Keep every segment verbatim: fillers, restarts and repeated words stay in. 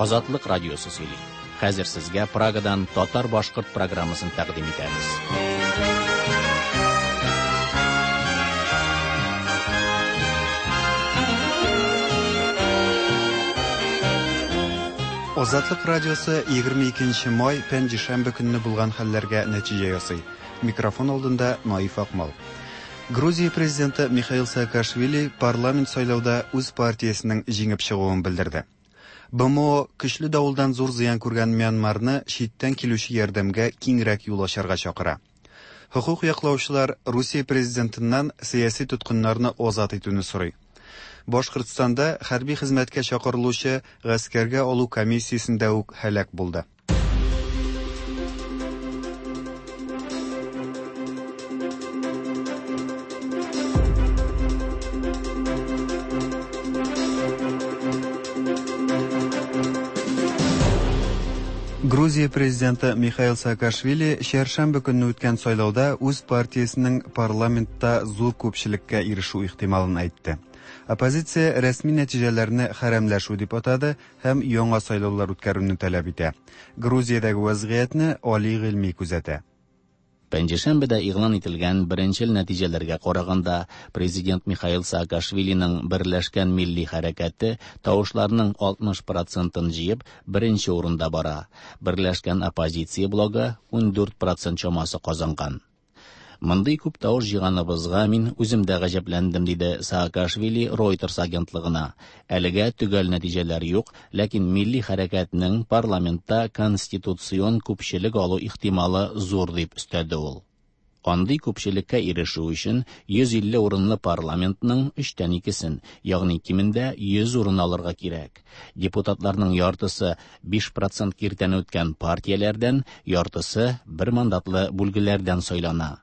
Азатлык радиосы сөйли. Хәзер сезгә Прагадан татар-башкорт программасын тәкъдим итәбез. Азатлык радиосы егерме икенче май пәнҗешәмбе көнне булган хәлләргә нәтиҗә ясый. Микрофон алдында Наиф Акмал. Грузия президенты Михаил Саакашвили парламент сайлауда үз партиясенең җиңеп чыгуын белдерде. Б М О көчле давылдан зур зыян күргән Мьянмарны читтән килүче ярдәмгә киңрәк юл ачарга чакыра. Хокук яклаучылар Русия президентыннан сәяси тоткыннарны азат итүне сорый. Башкортстанда хәрби хезмәткә чакырылучы гаскәргә алу комиссиясендә үк һәлак булды. Грузия президенты Михаил Саакашвили чәршәмбе көнне үткән сайлауда үз партиясенең парламентта зур күпчелеккә ирешү ихтималын әйтте. Оппозиция рәсми нәтиҗәләрне хәрәмләшү дип атады һәм яңа сайлаулар үткәрүне таләп итә. Грузиядәге вазгыятьне Али Гыйльми күзәтә. Пәнҗешәмбедә игълан ителгән беренчел нәтиҗәләргә караганда, президент Михаил Саакашвилиның Берләшкән милли хәрәкәте тавышларның алтмыш процентын җыеп, беренче урында бара. Берләшкән оппозиция блогы ундүрт процент чамасы казанган. Мондый күп тавыш җыйганыбызга мин үзем дә гаҗәпләндем, диде Саакашвили Reuters агентлыгына. Әлегә төгәл нәтиҗәләр юк, ләкин милли хәрәкәтнең парламентта конституцион күпчелек алу ихтималы зур дип өстәде ул. Андый күпчелеккә ирешү өчен йөз илле урынлы парламентның өчтән икесен, ягъни кимендә йөз урын алырга кирәк. Депутатларның яртысы биш процент киртәне үткән партияләрдән, яртысы бер мандатлы бүлгеләрдән сайлана.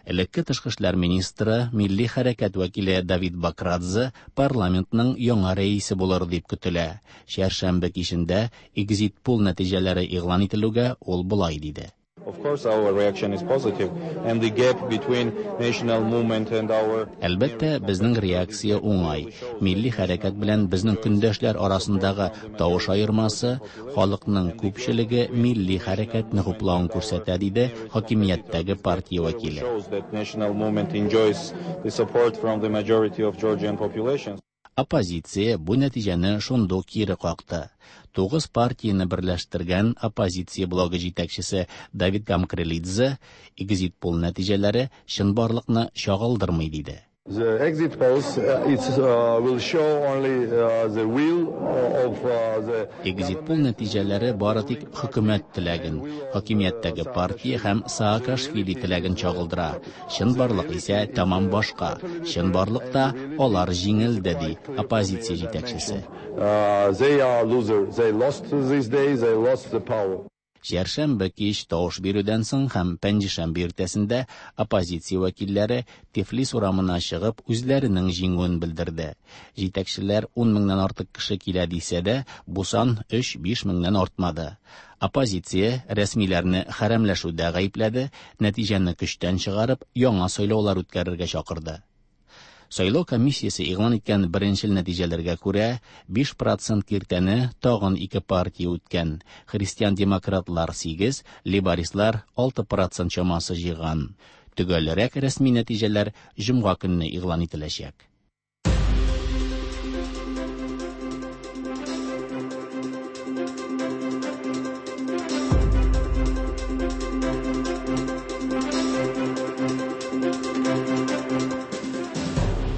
Элекке тышкы эшләр министры, милли хәрәкәт вәкиле Давид Бакрадзе парламентның яңа рәисе булыр дип көтелә. Чәршәмбе кичендә экзит-пол нәтиҗәләре игълан ителүгә ул болай диде. Of course, our reaction is positive, and the gap between national movement and our Әлбәттә, безнең реакция уңай. Милли хәрәкәт белән безнең көндәшләр арасындагы тавыш аермасы халыкның күпчелеге милли хәрәкәтне хуплавын күрсәтә, диде хакимияттәге партия вәкиле. Shows that national movement enjoys the support from the majority of Georgian population. Оппозиция бу нәтиҗәне шундук кире какты. Тугыз партияне берләштергән оппозиция блогы җитәкчесе Давид Гамкралидзе экзит-пол нәтиҗәләре чынбарлыкны чагылдырмый, диде. The exit polls, uh, it's, uh, will show only, uh, the will of, uh, the Экзит-пол нәтиҗәләре бары тик хөкүмәт теләген, хакимияттәге партия һәм Саакашвили теләген чагылдыра. Чынбарлык исә тәмам башка. Чынбарлыкта алар җиңелде, ди оппозиция җитәкчесе. Uh, they are loser. They lost this day, they lost the power. Чәршәмбе кич тавыш бирүдән соң һәм пәнҗешәмбе иртәсендә оппозиция вәкилләре Тифлис урамына чыгып үзләренең җиңүен белдерде. Җитәкчеләр ун меңнән артык кеше килә дисә дә, бу сан өч-биш меңнән артмады. Оппозиция рәсмиләрне хәрәмләшүдә гаепләде, нәтиҗәне көчтән чыгарып, яңа сайлаулар үткәрергә чакырды. Сайлау комиссиясе игълан иткән беренчел нәтиҗәләргә күрә, биш процент киртәне тагын ике партия үткән. Христиан-демократлар сигез, либеристлар алты процент чамасы җыйган. Төгәлрәк рәсми нәтиҗәләр җомга көнне игълан ителәчәк.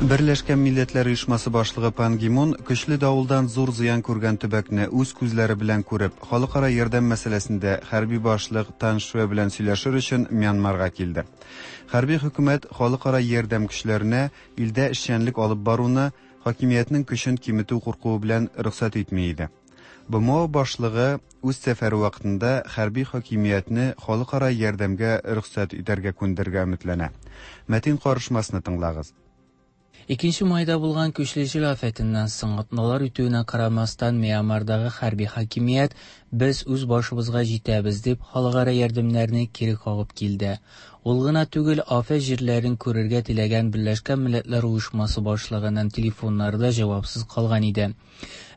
Берләшкән Милләтләр Оешмасы башлыгы Пан Ги Мун көчле давылдан зур зыян күргән төбәкне үз күзләре белән күреп, халыкара ярдәм мәсьәләсендә хәрби башлык Тан Шве белән сөйләшер өчен Мьянмарга килде. Хәрби хөкүмәт халыкара ярдәм көчләренә илдә эшчәнлек алып баруны хакимиятнең көчен киметү куркуы белән рөхсәт итми иде. Б М О башлыгы үз сәфәре вакытында хәрби хакимиятне халыкара ярдәмгә рөхсәт итәргә күндерергә өметләнә. Мәтин карышмасны тыңлагыз. Икенче майда булган көчле җил афәтеннән соң атналар үтүенә карамастан Мьянмардагы хәрби хакимият без үз башыбызга җитәбез дип халыкара ярдәмнәрне кире кагып килде. Ул гына түгел, афәт җирләрен күрергә теләгән Берләшкән Милләтләр Оешмасы башлыгының телефоннары да җавапсыз калган иде.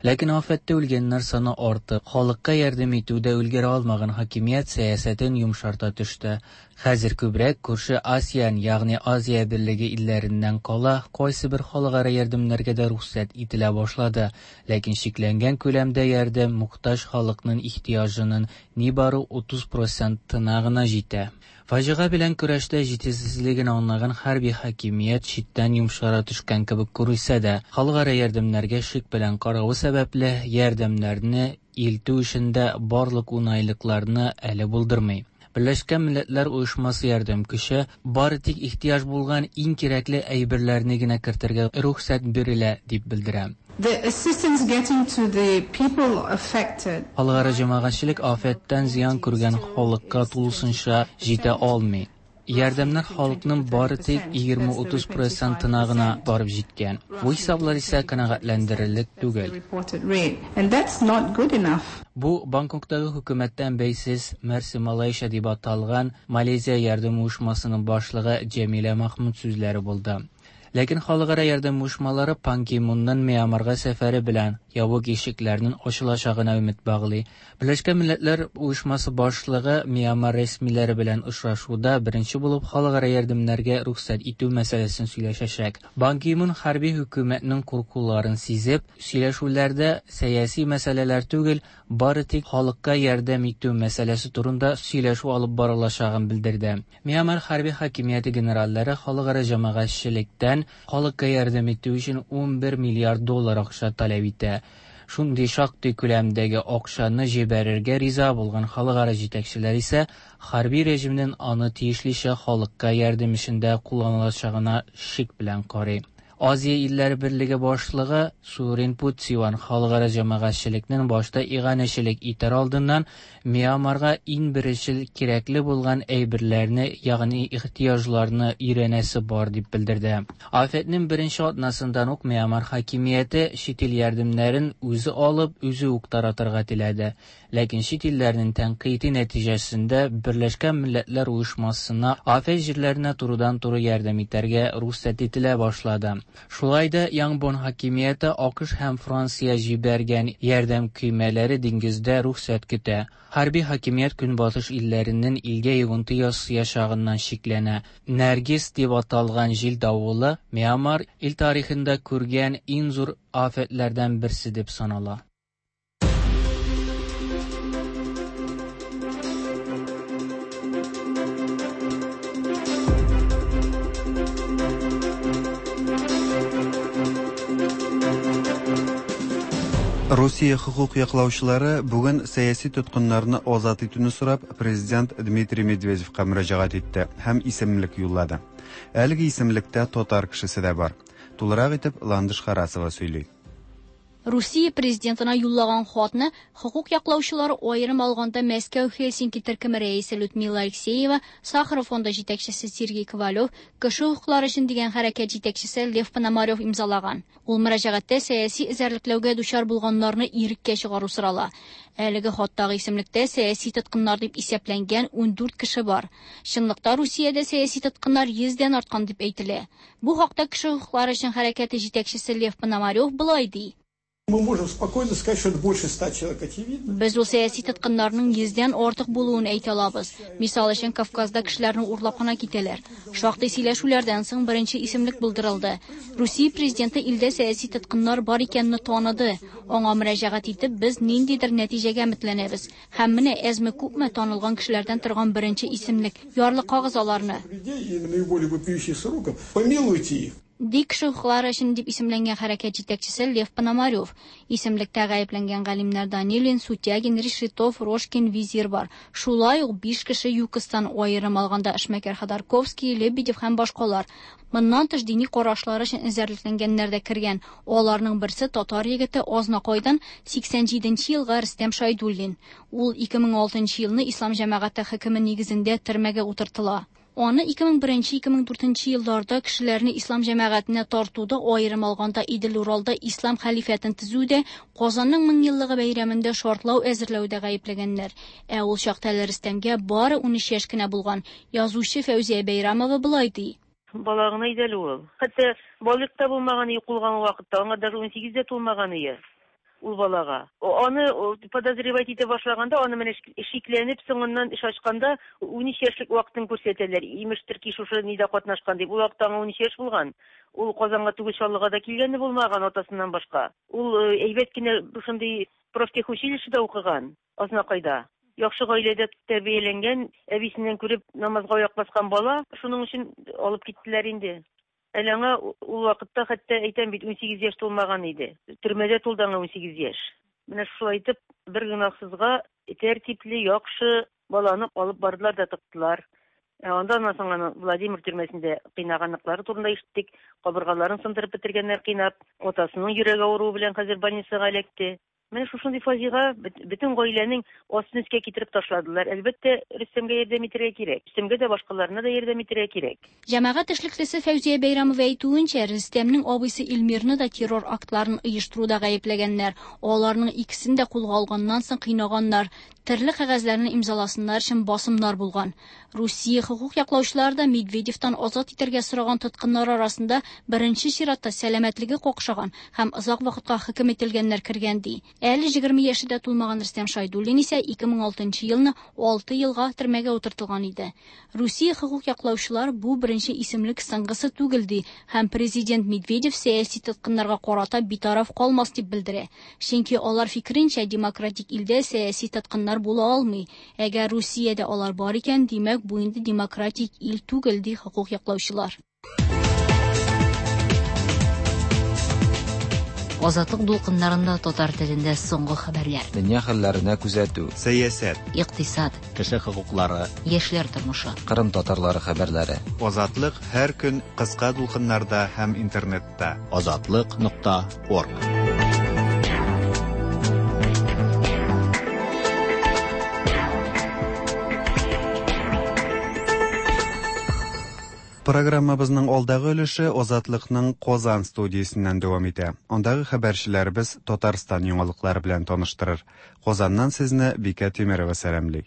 Ләкин афәттә үлгәннәр саны артып, халыкка ярдәм итүдә өлгерә алмаган хакимият сәясәтен йомшарта төште. Хәзер күбрәк күрше АСЕАН, ягъни Азия берлеге илләреннән кала, кайсыбер халыкара ярдәмнәргә дә рөхсәт ителә башлады. Ләкин чикләнгән күләмдә ярдәм мохтаҗ халыкның ихтыяҗының нибары утыз процентына гына җитә. Фаҗига белән көрәштә җитешсезлеген аңлаган хәрби хакимият читтән йомшара төшкән кебек күренсә дә, халыкара ярдәмнәргә шик белән каравы сәбәпле, ярдәмнәрне илтү эшендә барлык уңайлыкларны әле булдырмый. Берләшкән Милләтләр Оешмасы ярдәм көче бары тик ихтыяҗ булган иң кирәкле әйберләрне генә кертергә рөхсәт бирелә дип белдерә. The assistance getting to the people affected. Халыкара җәмәгатьчелек афәттән зыян күргән халыкка тулысынча җитә алмый. Ярдәмнәр халыкның бары тик егерме-утыз процентына гына барып җиткән. Бу хисаплар исә канәгатьләндерерлек түгел. And that's not good enough. Бу Бангкоктагы хөкүмәттән бәйсез Мерси Малайша дип аталган Малайзия ярдәм оешмасының башлыгы Җәмилә Махмуд сүзләре булды. Ләкин халыкара ярдәм оешмалары Пан Ги Мунның Мьянмарга сәфәре белән ябык ишекләрнең ачылачагына өмет баглый. Берләшкән Милләтләр Оешмасы башлыгы Мьянмар рәсмиләре белән очрашуда беренче булып халыкара ярдәмнәргә рөхсәт итү мәсьәләсен сөйләшәчәк. Пан Ги Мун хәрби хөкүмәтнең куркуларын сизеп, сөйләшүләрдә сәяси мәсьәләләр түгел, бары тик халыкка ярдәм итү мәсьәләсе турында сөйләшү алып барылачагын белдерде. Мьянмар хәрби хакимияте генераллары халыкара җәмәгатьчелектән халыкка ярдәм итү өчен ун бер миллиард доллар акча таләп итә. Шундый шактый күләмдәге акчаны җибәрергә риза булган халыкара җитәкчеләр исә хәрби режимнең аны тиешлечә халыкка ярдәм эшендә кулланылачагына шик белән карый. Азия илләре берлеге башлыгы Сурин Путсиван халыкара җәмәгатьчелекнең башта иганәчелек итәр алдыннан Мьянмарга иң беренчел кирәкле булган әйберләрне, ягъни ихтыяҗларны өйрәнәсе бар дип белдерде. Афәтнең беренче атнасыннан ук Мьянмар хакимияте чит ил ярдәмнәрен үзе алып, үзе үк таратырга теләде. Ләкин чит илләрнең тәнкыйте нәтиҗәсендә Берләшкән Милләтләр Оешмасына афәт җирләренә турыдан-туры ярдәм итәргә рөхсәт ителә башлады. Шулай да Янгбон хакимияте АКШ һәм Франция җибәргән ярдәм көймәләре диңгездә рөхсәт көтә. Хәрби хакимият Көнбатыш илләренең илгә йогынты ясаячагыннан шикләнә. Нәргиз дип аталган җил давылы Мьянмар ил тарихында күргән иң зур афәтләрдән берсе дип санала. Русия хукук яклаучылары бүген сәяси тоткыннарны азат итүне сорап президент Дмитрий Медведевка мөрәҗәгать итте һәм исемлек юллады. Әлеге исемлектә татар кешесе дә бар. Тулырак итеп Ландыш Харасова сөйли. Русия президентына юллаган хатны хукук яклаучылары аерым алганда Мәскәү Хельсинки төркеме рәисе Людмила Алексеева, Сахаров фонды җитәкчесе Сергей Ковалев, кеше хокуклары өчен дигән хәрәкәт җитәкчесе Лев Пономарев имзалаган. Ул мөрәҗәгатьтә сәяси эзәрлекләүгә дучар булганнарны иреккә чыгару сорала. Әлеге хаттагы исемлектә сәяси тоткыннар дип исәпләнгән ун дүрт кеше бар. Чынлыкта Русиядә сәяси тоткыннар йөздән арткан дип әйтелә. Бу хакта кеше хокуклары өчен хәрәкәте җитәкчесе Лев Пономарев болай ди. Мы можем спокойно сказать, что это больше ста человек, очевидно. Без ул сәяси тоткыннарның йөздән артык булуын әйтә алабыз. Мисал өчен, Кавказда кешеләрне урлап кына китәләр. Шактый сөйләшүләрдән соң беренче исемлек булдырылды. Русия президенты илдә сәяси тоткыннар бар икәнне таныды. Аңа мөрәҗәгать итеп, без ниндидер нәтиҗәгә өметләнәбез. Һәм менә әзме-күпме танылган кешеләрдән торган беренче исемлек. Ярлыкагыз аларны. Людей и наиболее вопиющих сроков, помилуйте их. Ди кеше хокуклары өчен дип исемләнгән хәрәкәт җитәкчесе Лев Пономарев. Исемлектә гаепләнгән галимнәр Данилин, Сутягин, Решетов, Рожкин, Визир бар. Шулай ук биш кеше ЮКОСтан аерым алганда эшмәкәр Ходорковский, Лебедев һәм башкалар. Моннан тыш дини карашлары өчен эзәрлекләнгәннәр дә кергән. Аларның берсе татар егете Азнакайдан сиксән җиденче елгы Рөстәм Шайдуллин. Ул ике мең алтынчы елны Ислам җәмәгате хөкеме нигезендә төрмәгә утыртыла. Аны ике мең беренче, ике мең дүртенче елларда кешеләрне ислам җәмәгатенә тартуда, аерым алганда Идел-Уралда ислам хәлифәтен төзүдә, Казанның мең еллыгы бәйрәмендә шартлау әзерләүдә гаепләгәннәр. Ә ул чакта әле Рөстәмгә бары ун өч яшь кенә булган. Язучы Фәүзия Бәйрамова болай ди. Бала гына иде әле ул. Хәтта балигъ та булмаган, кулган вакытта, аңа даже ун сигез дә тулмаган иде. ул балага. Аны подозревать итә башлаганда, аны менә шикләнеп, соңыннан эш ачканда ун өч яшьлек вакытын күрсәтәләр. Имештер ки, шушы нидә катнашкан дип. Ул вакытта аңа ун өч яшь булган. Ул Казанга түгел, Чаллыга да килгәне булмаган атасыннан башка. Ул әйбәт кенә шундый профтехучилищеда укыган, Азнакайда. Яхшы гаиләдә тәрбияләнгән, әбисеннән күреп намазга аяк баскан бала, шуның өчен алып киттеләр инде. Әле аңа ул вакытта хәтта әйтәм бит, ун сигез яшь тулмаган иде. Төрмәдә тулды аңа ун сигез яшь. Менә шулай итеп бер гөнаһсызга тәртипле, яхшы баланы алып бардылар да тыктылар. Андан соң аны Владимир төрмәсендә кыйнаганлыклары турында ишеттек. Кабыргаларын сындырып бетергәннәр кыйнап, атасының йөрәге авыруы белән хәзер больницага эләкте. Менә шушындый фаҗига бөтен гаиләнең астын өскә китереп ташладылар. Әлбәттә, Рөстәмгә ярдәм итәргә кирәк. Рөстәмгә дә, башкаларына да ярдәм итәргә кирәк. Җәмәгать эшлеклесе Фәүзия Бәйрәмова әйтүенчә, Рөстәмнең абыйсы Илмирны да террор актларын оештыруда гаепләгәннәр. Аларның икесен дә кулга алганнан соң кыйнаганнар. Төрле кәгазьләрне имзаласыннар өчен басымнар булган. Русия хокук яклаучылары да Медведевтан азат итәргә сораган тоткыннар арасында беренче чиратта сәламәтлеге какшаган һәм озак вакытка хөкем ителгәннәр кергән ди. Әле егерме яше дә тулмаган Рөстәм Шайдуллин исә ике мең алтынчы елны алты елга төрмәгә утыртылган иде. Русия хокук яклаучылар бу беренче исемлек соңгысы түгел ди һәм президент Медведев сәяси тоткыннарга карата битараф калмас дип белдерә. Чөнки алар фикеренчә, демократик илдә сәяси тоткыннар була алмый. Әгәр Русиядә алар бар икән, димәк, бу инде демократик ил түгел ди хокук яклаучылар. Азатлык дулкыннарында татар телендә соңгы хәбәрләр. Дөнья хәлләренә күзәтү. Сәясәт. Икътисад. Кеше хокуклары. Яшьләр тормышы. Кырым татарлары хәбәрләре. Азатлык һәр көн кыска дулкыннарда һәм интернетта. Азатлык нокта орг. Программабызның алдагы өлеше Азатлыкның Казан студиясеннән дәвам итә. Андагы хәбәрчеләребез Татарстан яңалыклары белән таныштырыр. Казаннан сезне Бикә Тимерова сәламли.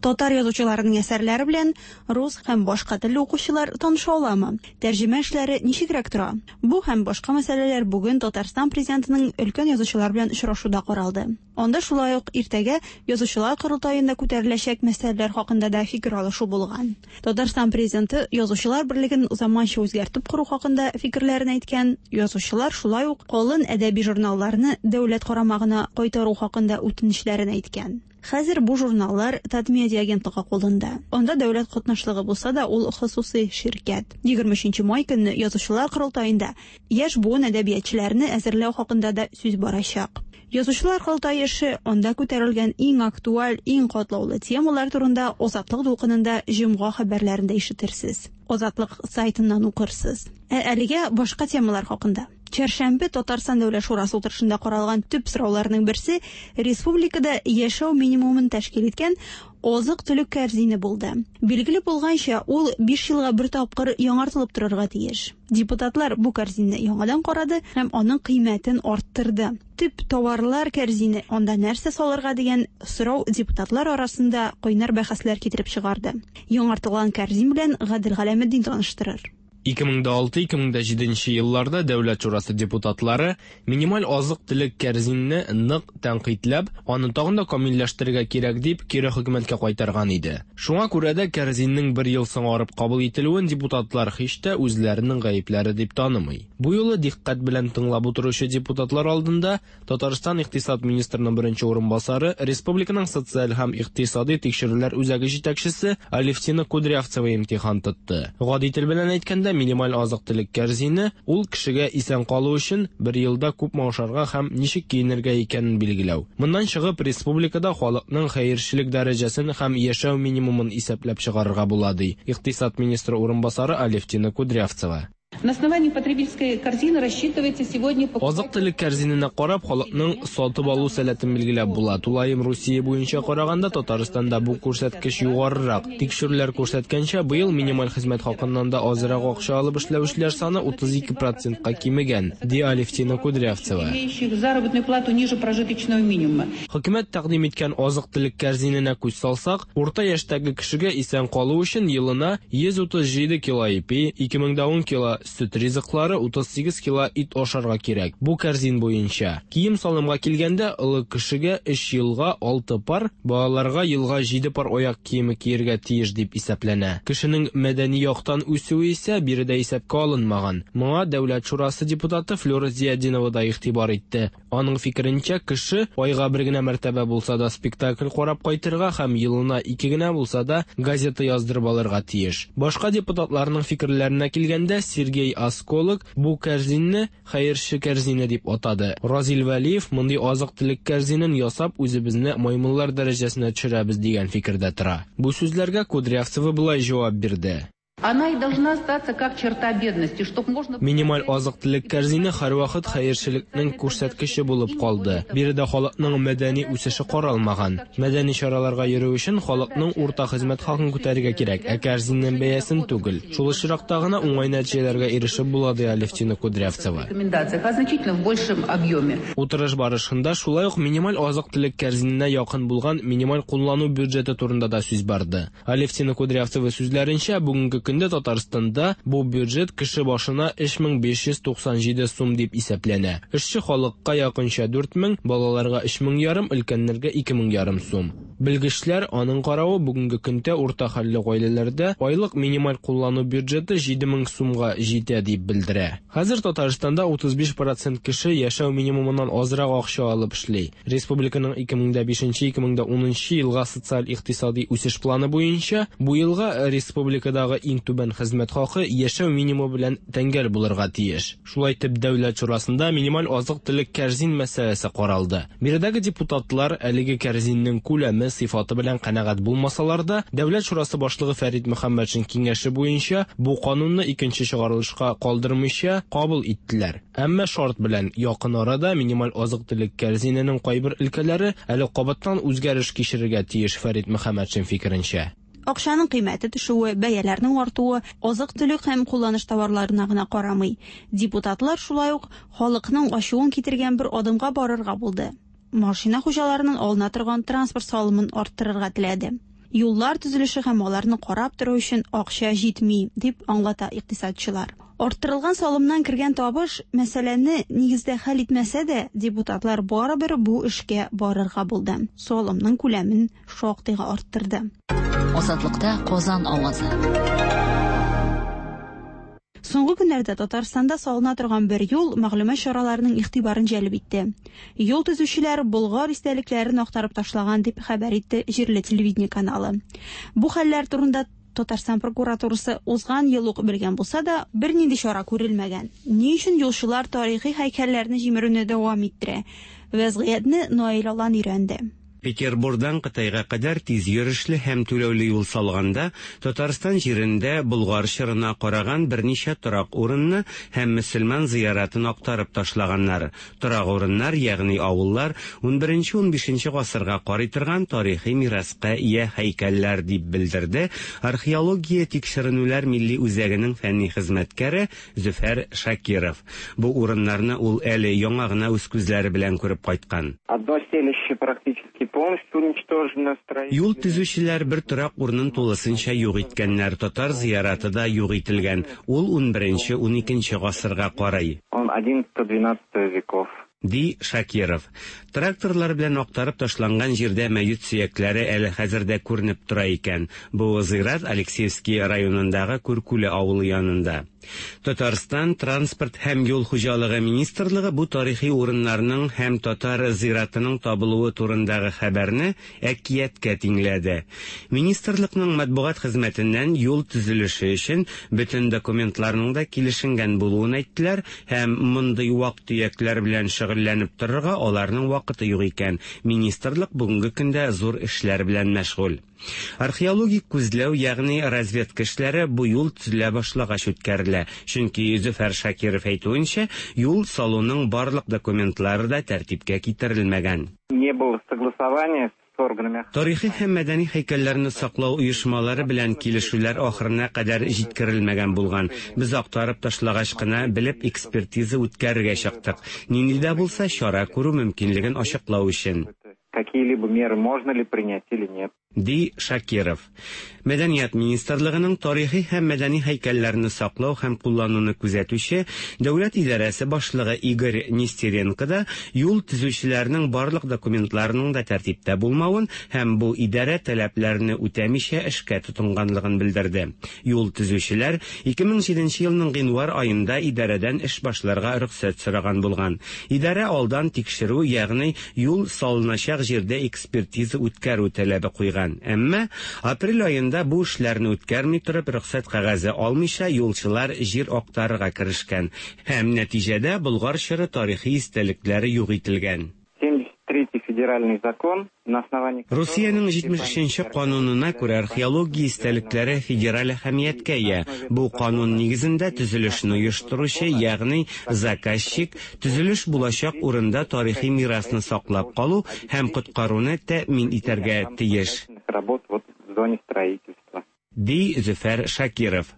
Татар язучыларының әсәрләре белән рус һәм башка телле укучылар таныша аламы? Тәрҗемә эшләре ничегрәк тора? Бу һәм башка мәсьәләләр бүген Татарстан президентының өлкән язучылар белән очрашуда каралды. Анда шулай ук иртәгә язучылар корылтаенда күтәреләчәк мәсьәләләр хакында да фикер алышу булган. Татарстан президенты язучылар берлеген заманча үзгәртеп кору хакында фикерләрен әйткән. Язучылар шулай ук калын әдәби журналларны дәүләт карамагына кайтару хакында үтенечләрен әйткән. Хәзер бу журналлар Татмедиа агентлыгы кулында. Анда дәүләт катнашлыгы булса да, ул хосусый ширкәт. егерме өченче май көнне язучылар корылтаенда яшь буын әдәбиятчыларны әзерләү хакында да сүз барачак. Язучылар корылтае эше, анда күтәрелгән иң актуаль, иң катлаулы темалар турында Азатлык дулкынында җомга хәбәрләрендә ишетерсез. Азатлык сайтыннан укырсыз. Ә әлегә башка темалар хакында. Чәршәмбе Татарстан Дәүләт Шурасы утырышында каралган төп сорауларның берсе республикада яшәү минимумын тәшкил иткән азык-төлек кәрзине булды. Билгеле булганча, ул биш елга бер тапкыр яңартылып торырга тиеш. Депутатлар бу кәрзинне яңадан карады һәм аның кыйммәтен арттырды. Төп товарлар кәрзине, анда нәрсә салырга дигән сорау депутатлар арасында кайнар бәхәсләр китереп чыгарды. Яңартылган кәрзин белән Гадел Галәметдин таныштырыр. ике мең алты - ике мең җиденче елларда Дәүләт Шурасы депутатлары минималь азык-төлек кәрзинне нык тәнкыйтьләп, аны тагын да камилләштерергә кирәк дип кире хөкүмәткә кайтарган иде. Шуңа күрә дә кәрзиннең бер ел соңарып кабул ителүен депутатлар һич тә үзләренең гаепләре дип танымый. Бу юлы дикъкать белән тыңлап утыручы депутатлар алдында Татарстан икътисад министрының беренче урынбасары, республиканың социаль һәм икътисади тикшерүләр үзәге җитәкчесе Алевтина Кудрявцева имтихан тотты. Гади тел белән әйткәндә, минималь азык-төлек кәрзине ул кешегә исән калу өчен бер елда күпме ашарга һәм ничек киенергә икәнен билгеләү. Моннан чыгып, республикада халыкның хәерчелек дәрәҗәсен һәм яшәү минимумын исәпләп чыгарырга була, ди икътисад министры урынбасары Алевтина Кудрявцева. На основании потребительской корзины рассчитывается сегодня... Азык-төлек кәрзиненә карап, халыкның сатып алу сәләтен билгеләп була. Тулаем Русия буенча караганда Татарстанда бу күрсәткеч югарырак. Тикшерүләр күрсәткәнчә, быел минималь хезмәт хакыннан да азрак акча алып эшләүчеләр саны утыз ике процентка кимегән, ди Алевтина Кудрявцева. Имеющих заработную плату ниже прожиточного минимума. Хөкүмәт тәкъдим иткән азык-төлек кәрзиненә күз салсак, урта яшьтәге кешегә исән калу өчен елына йөз утыз җиде кило ипи, ике мең дә ун кило сөт ризыклары, утыз сигез кило ит ашарга кирәк. Бу кәрзин буенча. Кием-салымга килгәндә, олы кешегә өч елга алты пар, балаларга елга җиде пар аяк киеме киергә тиеш дип исәпләнә. Кешенең мәдәни яктан үсүе исә биредә исәпкә алынмаган. Моңа Дәүләт шурасы депутаты Флюра Зиятдинова да игътибар итте. Аның фикеренчә, кеше айга бер генә мәртәбә булса да спектакль карап кайтырга һәм елына ике генә булса да газета яздырып алырга тиеш. Башка депутатларның фикерләренә килгәндә, Сергей Осколок бу кәрзинне хәерче кәрзине дип атады. Разил Вәлиев мондый азык-төлек кәрзинен ясап үзебезне маймыллар дәрәҗәсенә төшерәбез дигән фикердә тора. Бу сүзләргә Кудрявцева болай җавап бирде. Она и должна остаться как черта бедности, чтоб можно... Минималь азык-төлек кәрзине һәрвакыт хәерчелекнең күрсәткече булып калды. Биредә халыкның мәдәни үсеше каралмаган. Мәдәни чараларга йөрү өчен халыкның урта хезмәт хакын күтәрергә кирәк, ә кәрзиннең бәясен түгел. Шул очракта гына уңай нәтиҗәләргә ирешеп була, ди Алевтина Кудрявцева. Рекомендациях, а значительно в большем объеме. Утырыш барышында шулай ук минималь азык-төлек кәрзиненә якын булган минималь куллану бюджеты турында да сүз барды. Алевтина Кудрявцева сүзләренчә, бүгенге көндә Татарстанда бу бюджет кеше башына өч мең биш йөз туксан җиде сум дип исәпләнә. Эшче халыкка якынча дүрт мең, балаларга өч мең ярым, өлкәннәргә ике мең ярым сум. Белгечләр аның каравы бүгенге көндә урта хәлле гаиләләрдә айлык минималь куллану бюджеты җиде мең сумга җитә дип белдерә. Хәзер Татарстанда утыз биш процент кеше яшәү минимумыннан азрак акча алып эшли. Республиканың ике мең дә бишенче ике мең дә унынчы елга социаль-икътисади үсеш планы буенча бу елга республикадагы иң түбән хезмәт хакы яшәү минимумы белән тәңгәл булырга тиеш. Шулай итеп, Дәүләт шурасында минималь азык-төлек кәрзин мәсьәләсе каралды. Биредәге депутатлар әлеге кәрзиннең күләме, сыйфаты белән канәгать булмасалар да, Дәүләт шурасы башлыгы Фәрит Мөхәммәтшин киңәше буенча бу канунны икенче чыгарылышка калдырмыйча кабул иттеләр. Әмма шарт белән якын арада минималь азык-төлек кәрзиненең кайбер өлкәләре әле кабаттан үзгәреш кичерергә тиеш, Фәрит Мөхәммәтшин фикеренчә. Акчаның кыйммәте төшүе, бәяләрнең артуы азык-төлек һәм кулланыш товарларына гына карамый. Депутатлар шулай ук халыкның ачуын китергән бер адымга барырга булды. Машина хуҗаларының алына торган транспорт салымын арттырырга теләде. Юллар төзелеше һәм аларны карап тору өчен акча җитми, дип аңлата икътисадчылар. Арттырылган салымнан кергән табыш мәсьәләне нигездә хәл итмәсә дә, депутатлар барыбер бу эшкә барырга булды. Салымның күләмен шактыйга арттырды. Азатлыкта Казан авазы. Соңгы көннәрдә Татарстанда салына торган бер юл мәгълүмат чараларының игътибарын җәлеп итте. Юл төзүчеләр Болгар истәлекләрен актарып ташлаган дип хәбәр итте җирле телевидение каналы. Бу хәлләр турында Татарстан прокуратурасы узган ел ук белгән булса да, бернинди чара күрелмәгән. Ни өчен юлчылар тарихи һәйкәлләрне җимерүне дәвам иттерә? Вәзгыятьне Наил Алан өйрәнде. Петербургдан Кытайга кадәр тиз йөрешле һәм түләүле юл салганда, Татарстан җирендә Болгар чорына караган берничә торак урынны һәм мөселман зыяратын актарып ташлаганнар. Торак урыннар, ягъни авыллар, унберенче унбишенче гасырга карый торган тарихи мираска ия һәйкәлләр дип белдерде Археология тикшеренүләр милли үзәгенең фәнни хезмәткәре Зөфәр Шакиров. Бу урыннарны ул әле яңа гына үз күзләре белән күреп кайткан. Одно селище практически полностью уничтожено. Юл төзүчеләр бер торак урынын тулысынча юк иткәннәр. Татар зыяраты да юк ителгән. Ул унберенче уникенче гасырга карый. Он одиннадцатого-двенадцатого веков. Ди Шакиров. Тракторлар белән актарып ташланган җирдә мәет сөякләре әле хәзер дә күренеп тора икән. Бу зыярат Алексеевский районындагы Күркүле авылы янында. Татарстан транспорт һәм юл хуҗалыгы министрлыгы бу тарихи урыннарның һәм татар зыяратының табылуы турындагы хәбәрне әкияткә тиңләде. Министрлыкның матбугат хезмәтеннән юл төзелеше өчен бөтен документларның да килешенгән булуын әйттеләр һәм мондый вак-төякләр белән шөгыльләнеп торырга аларның вакыты юк икән. Министрлык бүгенге көндә зур эшләр белән мәшгуль. Археологик күзләү, ягъни разведка эшләре бу юл төзелә башлагач үткәрелә. Чөнки Зөфәр Шакиров әйтүенчә, юл салуның барлык документлары да тәртипкә китерелмәгән. Не было согласования с органами. Тарихи һәм мәдәни һәйкәлләрне саклау оешмалары белән килешүләр ахырына кадәр җиткерелмәгән булган. Без актарып ташлагач кына белеп экспертиза үткәрергә чыктык. Нинди дә булса чара күрү мөмкинлеген ачыклау өчен. Какие-либо меры можно ли принять или нет. Ди Шакиров. Мәдәният министрлыгының тарихи һәм мәдәни һәйкәлләрне саклау һәм куллануны күзәтүче дәүләт идарәсе башлыгы Игорь Нестеренко да юл төзүчеләрнең барлык документларының да тәртиптә булмавын һәм бу идарә таләпләрне үтәмичә эшкә тотынганлыгын белдерде. Юл төзүчеләр ике мең җиденче елның гыйнвар аенда идарәдән эш башларга рөхсәт сораган булган. Идарә алдан тикшерү, ягъни юл салыначак җирдә экспертиза үткәрү таләбе куйган. Әмма апрель аенда бу эшләрне үткәрми торып рөхсәт кәгазе алмыйча юлчылар җир актарырга керешкән һәм нәтиҗәдә Болгар чоры тарихи истәлекләре юк ителгән. семьдесят третий федеральный закон, на основании Русиянең җитмеш өченче канунына күрә археология истәлекләре федераль әһәмияткә ия. Бу канун нигезендә төзелешне оештыручы, ягъни заказчик, төзелеш булачак урында тарихи мирасны саклап калу һәм коткаруны тәэмин итәргә тиеш. Работ вот в зоне строительства. Ди Зөфәр Шакиров.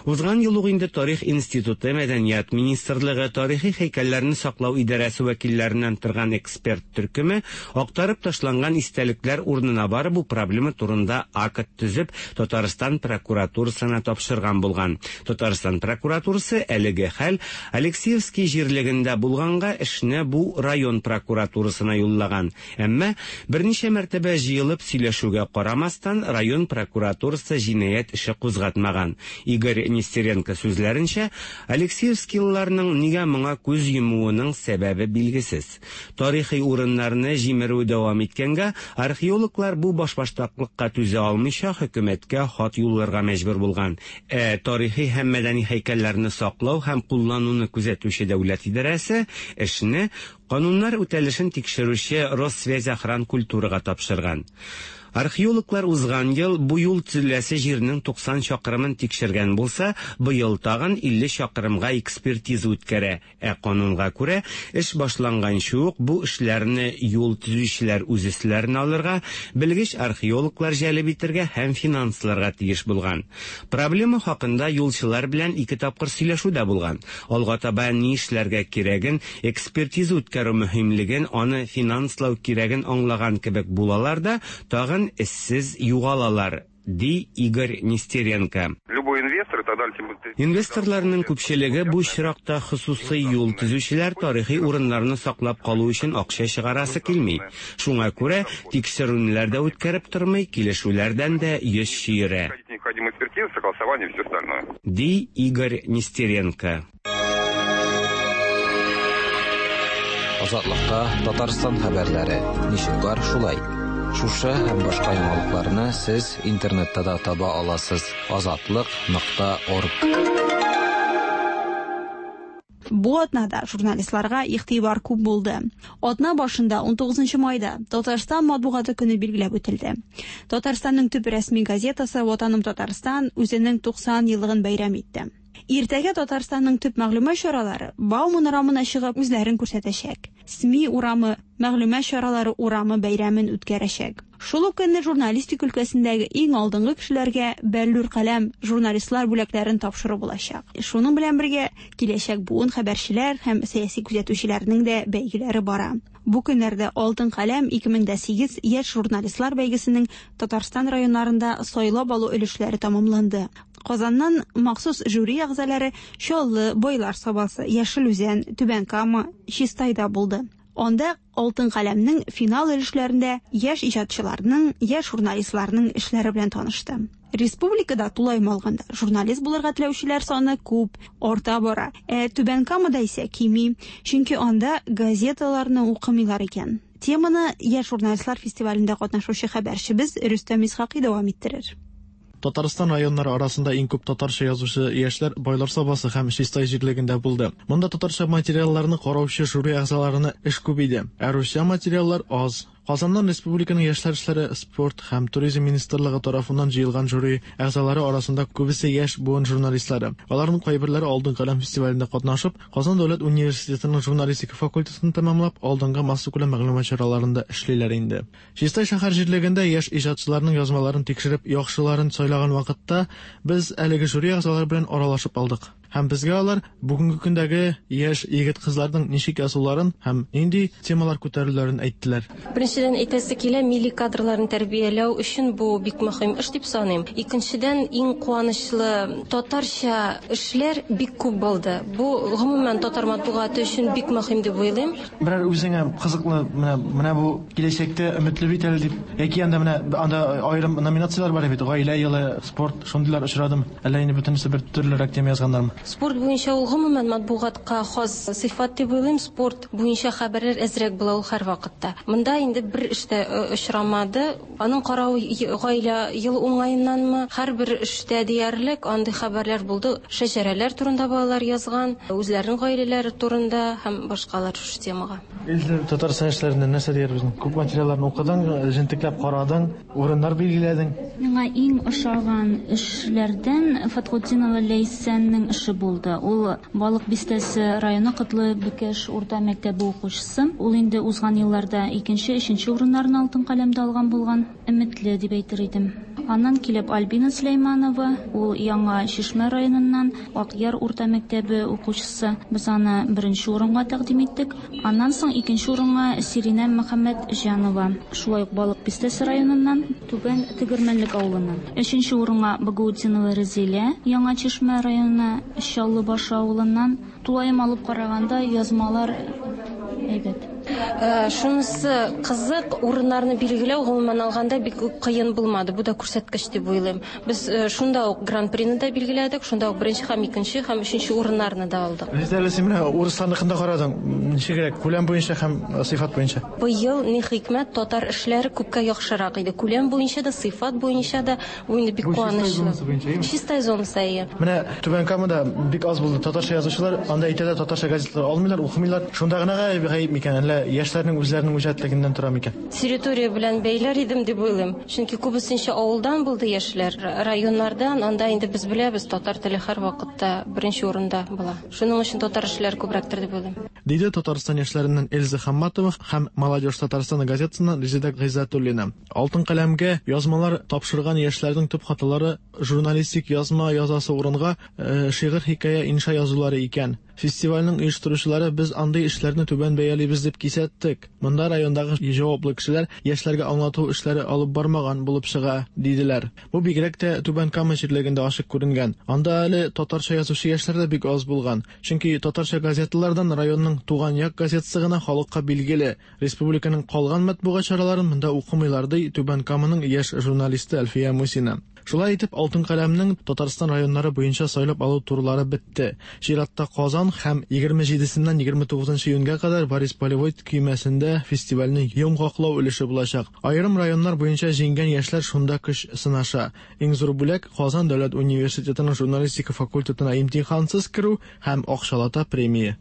Узган ел ук инде Тарих институты, Мәдәният министрлыгы, тарихи һәйкәлләрне саклау идарәсе вәкилләреннән торган эксперт төркеме актарып ташланган истәлекләр урынына барып бу проблема турында акт төзеп Татарстан прокуратурасына тапшырган булган. Татарстан прокуратурасы әлеге хәл Алексеевский җирлегендә булганга эшне бу район прокуратурасына юллаган. Әмма берничә мәртәбә җыелып сөйләшүгә карамастан район прокуратурасы җинаять эше кузгатмаган. Игорь Нестеренко сүзләренчә, Алексеевскийларның нигә моңа күз йомуының сәбәбе билгесез. Тарихи урыннарны җимерү дәвам иткәнгә, археологлар бу башбаштаклыкка түзә алмыйча хөкүмәткә хат юлларга мәҗбүр булган. Ә тарихи һәм мәдәни һәйкәлләрне саклау һәм куллануны күзәтүче дәүләт идарәсе эшне кануннар үтәлешен тикшерүче Россвязьохранкультурага тапшырган. Археологлар узган ел бу юл төзеләсе җирнең туксан чакрымын тикшергән булса, быел тагын илле чакрымга экспертиза үткәрә. Ә канунга күрә, эш башланганчы ук бу эшләрне юл төзүчеләр үз өсләренә алырга, белгеч археологлар җәлеп итәргә һәм финансларга тиеш булган. Проблема хакында юлчылар белән ике тапкыр сөйләшү дә булган. Алга таба ни эшләргә кирәген, экспертиза үткәрү мөһимлеген, аны финанслау кирәген аңлаган кебек булалар да, тагын эшсез югалалар, ди Игорь Нестеренко. Любой инвестор тогда Инвесторларның күпчелеге бу очракта хосусый юл төзүчеләр тарихи урыннарны саклап калу өчен акча чыгарасы килми. Шуңа күрә тикшерүләр дә үткәреп тормый, килешүләрдән дә йөз чөерә. Ди Игорь Нестеренко. Азатлыкта Татарстан хәбәрләре. Ничек бар шулай. Шушы һәм башка яңалыкларны сез интернетта да таба аласыз. азатлык нокта орг. Бу атнада журналистларга игътибар күп булды. Атна башында ун тугызынчы майда Татарстан матбугаты көне билгеләп үтелде. Татарстанның төп рәсми газетасы Ватаным Татарстан үзенең туксан еллыгын бәйрәм итте. Иртәгә Татарстанның төп мәгълүмат чаралары Бауман урамына чыгып үзләрен күрсәтәчәк. СМИ урамы, мәгълүмат чаралары урамы бәйрәмен үткәрәчәк. Шул ук көнне журналистика өлкәсендәге иң алдынгы кешеләргә Бәллүр каләм журналистлар бүләкләрен тапшыру булачак. Шуның белән бергә киләчәк буын хәбәрчеләр һәм сәяси күзәтүчеләрнең дә бәйгеләре бара. Бу көннәрдә Алтын каләм ике мең дә сигез яшь журналистлар бәйгесенең Татарстан районнарында сайлап алу өлешләре тәмамланды. Казаннан махсус жюри әгъзалары Чаллы, Байлар Сабасы, Яшел Үзән, Түбән Кама, Чистайда булды. Анда Алтын каләмнең финал өлешләрендә яшь иҗатчыларның, яшь журналистларның эшләре белән танышты. Республикада тулаем алганда журналист булырга теләүчеләр саны күп, арта бара. Ә Түбән Камада исә кими, чөнки анда газеталарны укымыйлар икән. Теманы яшь журналистлар фестивалендә катнашучы хәбәрчебез Рөстәм Исхакый дәвам иттерер. Татарстан районнары арасында иң күп татарча язучы яшьләр Байлар Сабасы һәм Чистай җирлегендә булды. Монда татарча материалларны караучы жюри әгъзаларына эш күп иде, ә русча материаллар аз. Казаннан республиканың яшьләр эшләре, спорт һәм туризм министрлыгы тарафыннан җыелган жюри әгъзалары арасында күбесе яшь буын журналистлары. Аларның кайберләре Алтын каләм фестивалендә катнашып, Казан дәүләт университетының журналистика факультетын тәмамлап, алдынгы массакүләм мәгълүмат чараларында эшлиләр инде. Чистай шәһәр җирлегендә яшь иҗатчыларның язмаларын тикшереп, яхшыларын сайлаган вакытта без әлеге жюри әгъзалары белән аралашып алдык. Һәм безгә алар бүгенге көндәге яшь егет-кызларның ничек язуларын һәм нинди темалар күтәрүләрен әйттеләр. Беренчедән әйтәсе килә, милли кадрларны тәрбияләү өчен бу бик мөһим эш дип саныйм. Икенчедән, иң куанычлы татарча эшләр бик күп булды. Бу гомумән татар матбугаты өчен бик мөһим дип уйлыйм. Берәр үзеңә кызыклы менә менә бу киләчәктә өметле бит әле дип, яки анда менә анда аерым номинацияләр бар бит, гаилә елы, спорт, шундыйлар очрадым. Әллә инде бөтенесе бер төрлерәк тема язганнармы? Спорт буенча ул гомумән матбугатка хас сыйфат дип уйлыйм. Спорт буенча хәбәрләр әзрәк була ул һәрвакытта. Монда инде бер эштә очрамады. Аның каравы гаилә ел уңаеннанмы, һәрбер эштә диярлек андый хәбәрләр булды. Шәҗәрәләр турында балалар язган, үзләренең гаиләләре турында һәм башкалар шушы темага. Илдә Татарстан яшьләреннән нәрсә диярбез? Күп материалларны укыдың, җентекләп карадың, урыннар билгеләдең. Миңа иң ошаган эшләрдән Фатхутдинова Ләйсәннең эше булды. Ул Балык Бистәсе районы Котлы Бөкәш урта мәктәбе укучысы. Ул инде узган елларда икенче, өченче урыннарны алтын каләмдә алган булган. Өметле дип әйтер идем. Аннан килеп Альбина Сөләйманова, ул Яңа Чишмә районыннан Акъяр урта мәктәбе укучысы. Без аны беренче урынга тәкъдим иттек. Аннан соң икенче урынга Сиринә Мөхәммәтҗанова, шулай ук Балык Бистәсе районыннан Түбән Тегермәнлек авылыннан. Өченче урынга Багаутдинова Резилә, Яңа Чишмә районы Чаллы Башы авылыннан. Тулаем алып караганда язмалар әйбәт. Шунысы кызык, урыннарны билгеләү гомумән алганда бик кыен булмады. Бу да күрсәткеч дип уйлыйм. Без шунда ук гран-прины да билгеләдек, шунда ук беренче һәм икенче һәм өченче урыннарны да алдык. Резилә, син менә урысларныкында карадың, ничегрәк, күләм буенча һәм сыйфат буенча? Быел ни хикмәт, татар эшләре күпкә яхшырак иде. Күләм буенча да, сыйфат буенча да, бу инде бик куанычлы. Чистай зонасы, әйе. Менә Түбән Камада бик аз булды татарча язучылар, анда әйтә дә татарча газеталар алмыйлар, укымыйлар. Шунда гына гаеп микән, әллә яшьләрнең үзләренең үҗәтлегеннән тора микән? Территория белән бәйләр идем дип уйлыйм. Чөнки күбесенчә авылдан булды яшьләр, районнардан. Анда инде без беләбез, татар теле һәрвакытта беренче урында була. Шуның өчен татар эшләр күбрәктер дип уйлыйм. Диде Татарстан яшьләреннән Эльза Хамматова һәм Молодежь Татарстана газетасыннан Резеда Гыйззәтуллина. Алтын каләмгә язмалар тапшырган яшьләрнең төп хаталары журналистик язма язасы урынга шигырь, хикәя, инша язулары икән. Фестивальнең оештыручылары без андый эшләрне түбән бәялибез дип кисәттек. Монда райондагы җаваплы кешеләр яшьләргә аңлату эшләре алып бармаган булып чыга, диделәр. Бу бигрәк тә Түбән Кама җирлегендә ачык күренгән. Анда әле татарча язучы яшьләр дә бик аз булган. Чөнки татарча газеталардан районның Туган як газетасы гына халыкка билгеле. Республиканың калган матбугат чараларын монда укымыйлар, ди Түбән Каманың яшь журналисты Әлфия Мусина. Шулай итеп, Алтын каләмнең Татарстан районнары буенча сайлап алу турлары бетте. Чиратта Казан һәм егерме җидесеннән егерме тугызынчы июньгә кадәр Борис Полевой көймәсендә фестивальнең йомгаклау өлеше булачак. Аерым районнар буенча җиңгән яшьләр шунда көч сынаша. Иң зур бүләк Казан дәүләт университетының журналистика факультетына имтихансыз керү һәм акчалата премия.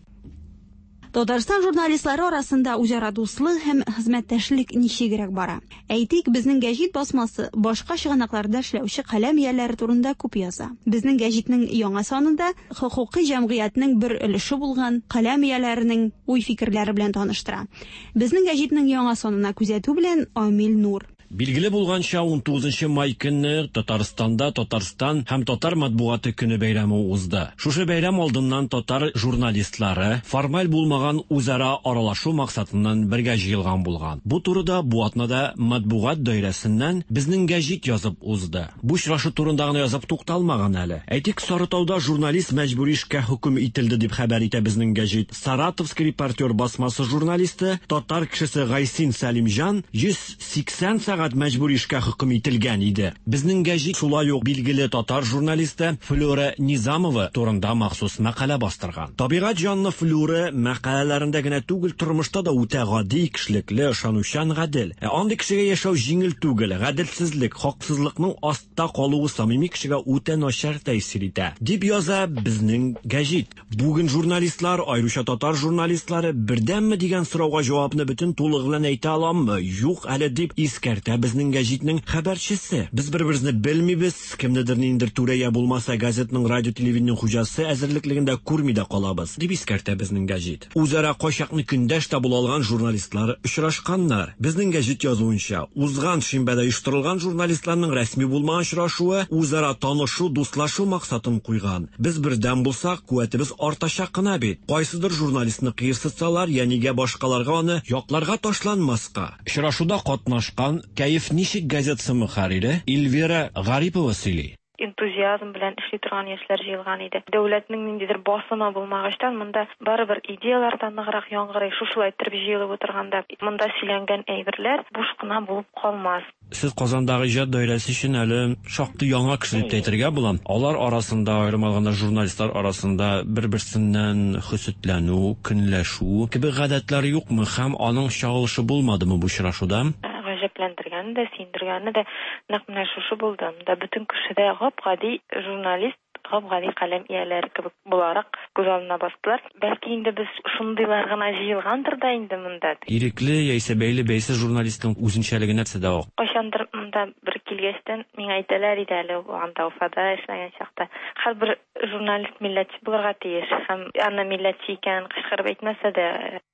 Татарстан журналистлары арасында үзара дуслык һәм хезмәттәшлек ничегрәк бара? Әйтик, безнең гәҗит басмасы башка чыганакларда эшләүче каләм ияләре турында күп яза. Безнең гәҗитнең яңа санында хокукый җәмгыятьнең бер өлеше булган каләм ияләренең уй-фикерләре белән таныштыра. Безнең гәҗитнең яңа санына күзәтү белән Амил Нур. Билгеле булганча, ун тугызынчы май көнне Татарстанда Татарстан һәм татар матбугаты көне бәйрәме узды. Шушы бәйрәм алдыннан татар журналистлары формаль булмаган үзара аралашу максатыннан бергә җыелган булган. Бу турыда бу атнада матбугат даирәсеннән безнең гәҗит язып узды. Бу очрашу турында гына язып тукталмаган әле. Әйтик, Сарытауда журналист мәҗбүри эшкә хөкем ителде дип хәбәр итә безнең гәҗит. Саратовский репортер басмасы журналисты татар кешесе Гайсин Сәлимҗан йөз сиксән сәгать мәҗбүри эшкә хөкем ителгән иде. Безнең гәҗит шулай ук билгеле татар журналисты Флюра Низамова турында махсус мәкалә бастырган. Табигать җанлы Флюра мәкаләләрендә генә түгел, тормышта да үтә гади, кешелекле, ышанучан, гадел. Ә андый кешегә яшәү җиңел түгел. Гаделсезлек, хаксызлыкның астта калуы самими кешегә үтә начар тәэсир итә, дип яза безнең гәҗит. Бүген журналистлар, аеруча татар журналистлары, бердәмме дигән сорауга җавапны бөтен тулыгы белән әйтә аламмы? Юк әле, дип искәртә искәртә Безнең гәҗитнең хәбәрчесе. Без бер-беребезне белмибез, кемнедер ниндидер түрә я булмаса газетның радио телевидение хуҗасы әзерлеклегендә күрми дә калабыз, дип искәртә Безнең гәҗит. Үзара кайчакны көндәш тә була алган журналистлар очрашканнар. Безнең гәҗит язуынча, узган шимбәдә оештырылган журналистларның рәсми булмаган очрашуы үзара танышу, дуслашу максатын куйган. Без бердәм булсак, куәтебез артачак кына бит. Кайсыдыр журналистны кыерсытсалар, я нигә башкаларга аны якларга ташланмаска. Очрашуда катнашкан Кәеф ничек газетасы мөхәррире Эльвира Гарипова сөйли. Энтузиазм белән эшли торган яшьләр җыелган иде. Дәүләтнең ниндидер басымы булмагачтан, монда барыбер идеялар да ныграк яңгырый. Шушылай итеп җыелып утырганда, монда сөйләнгән әйберләр буш кына булып калмас. Сез Казандагы иҗат даирәсе өчен әле шактый яңа кеше дип әйтергә була. Алар арасында, аерым алганда журналистлар арасында бер-берсеннән хөсетләнү, көнләшү кебек гадәтләр юкмы һәм аның чагылышы булмадымы бу очрашуда? Гаҗәпләндергәне дә, сөендергәне дә нәкъ менә шушы булды. Монда бөтен кеше дә гап-гади журналист, гап-гади каләм ияләре кебек буларак күз алдына бастылар. Бәлки инде без шундыйлар гына җыелгандыр да инде монда. Ирекле яисә бәйле бәйсез журналистның үзенчәлеге нәрсәдә ул? Кайчандыр монда бер килгәчтән миңа әйтәләр иде әле, анда Уфада эшләгән чакта. Һәрбер журналист милләтче булырга тиеш һәм аны милләтче икәнен кычкырып әйтмәсә дә.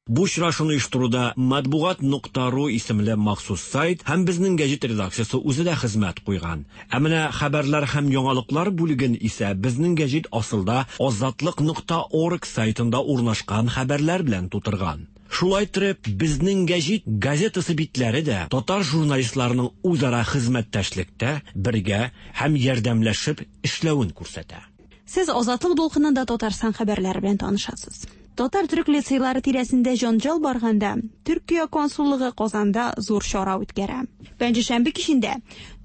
Бу очрашуны оештыруда матбугат нокта ру исемле махсус сайт һәм Безнең гәҗит редакциясе үзе дә хезмәт куйган. Ә менә хәбәрләр һәм яңалыклар бүлеген исә Безнең гәҗит асылда азатлык нокта орг сайтында урнашкан хәбәрләр белән тутырган. Шулай итеп, Безнең гәҗит газетасы битләре дә татар журналистларының үзара хезмәттәшлектә бергә һәм ярдәмләшеп эшләвен күрсәтә. Сез Азатлык дулкынында Татарстан хәбәрләре белән танышасыз. Татар төрек лицейлары тирәсендә җанҗал барганда, Төркия консуллыгы Казанда зур чара үткәрә. Пәнҗешәмбе кичендә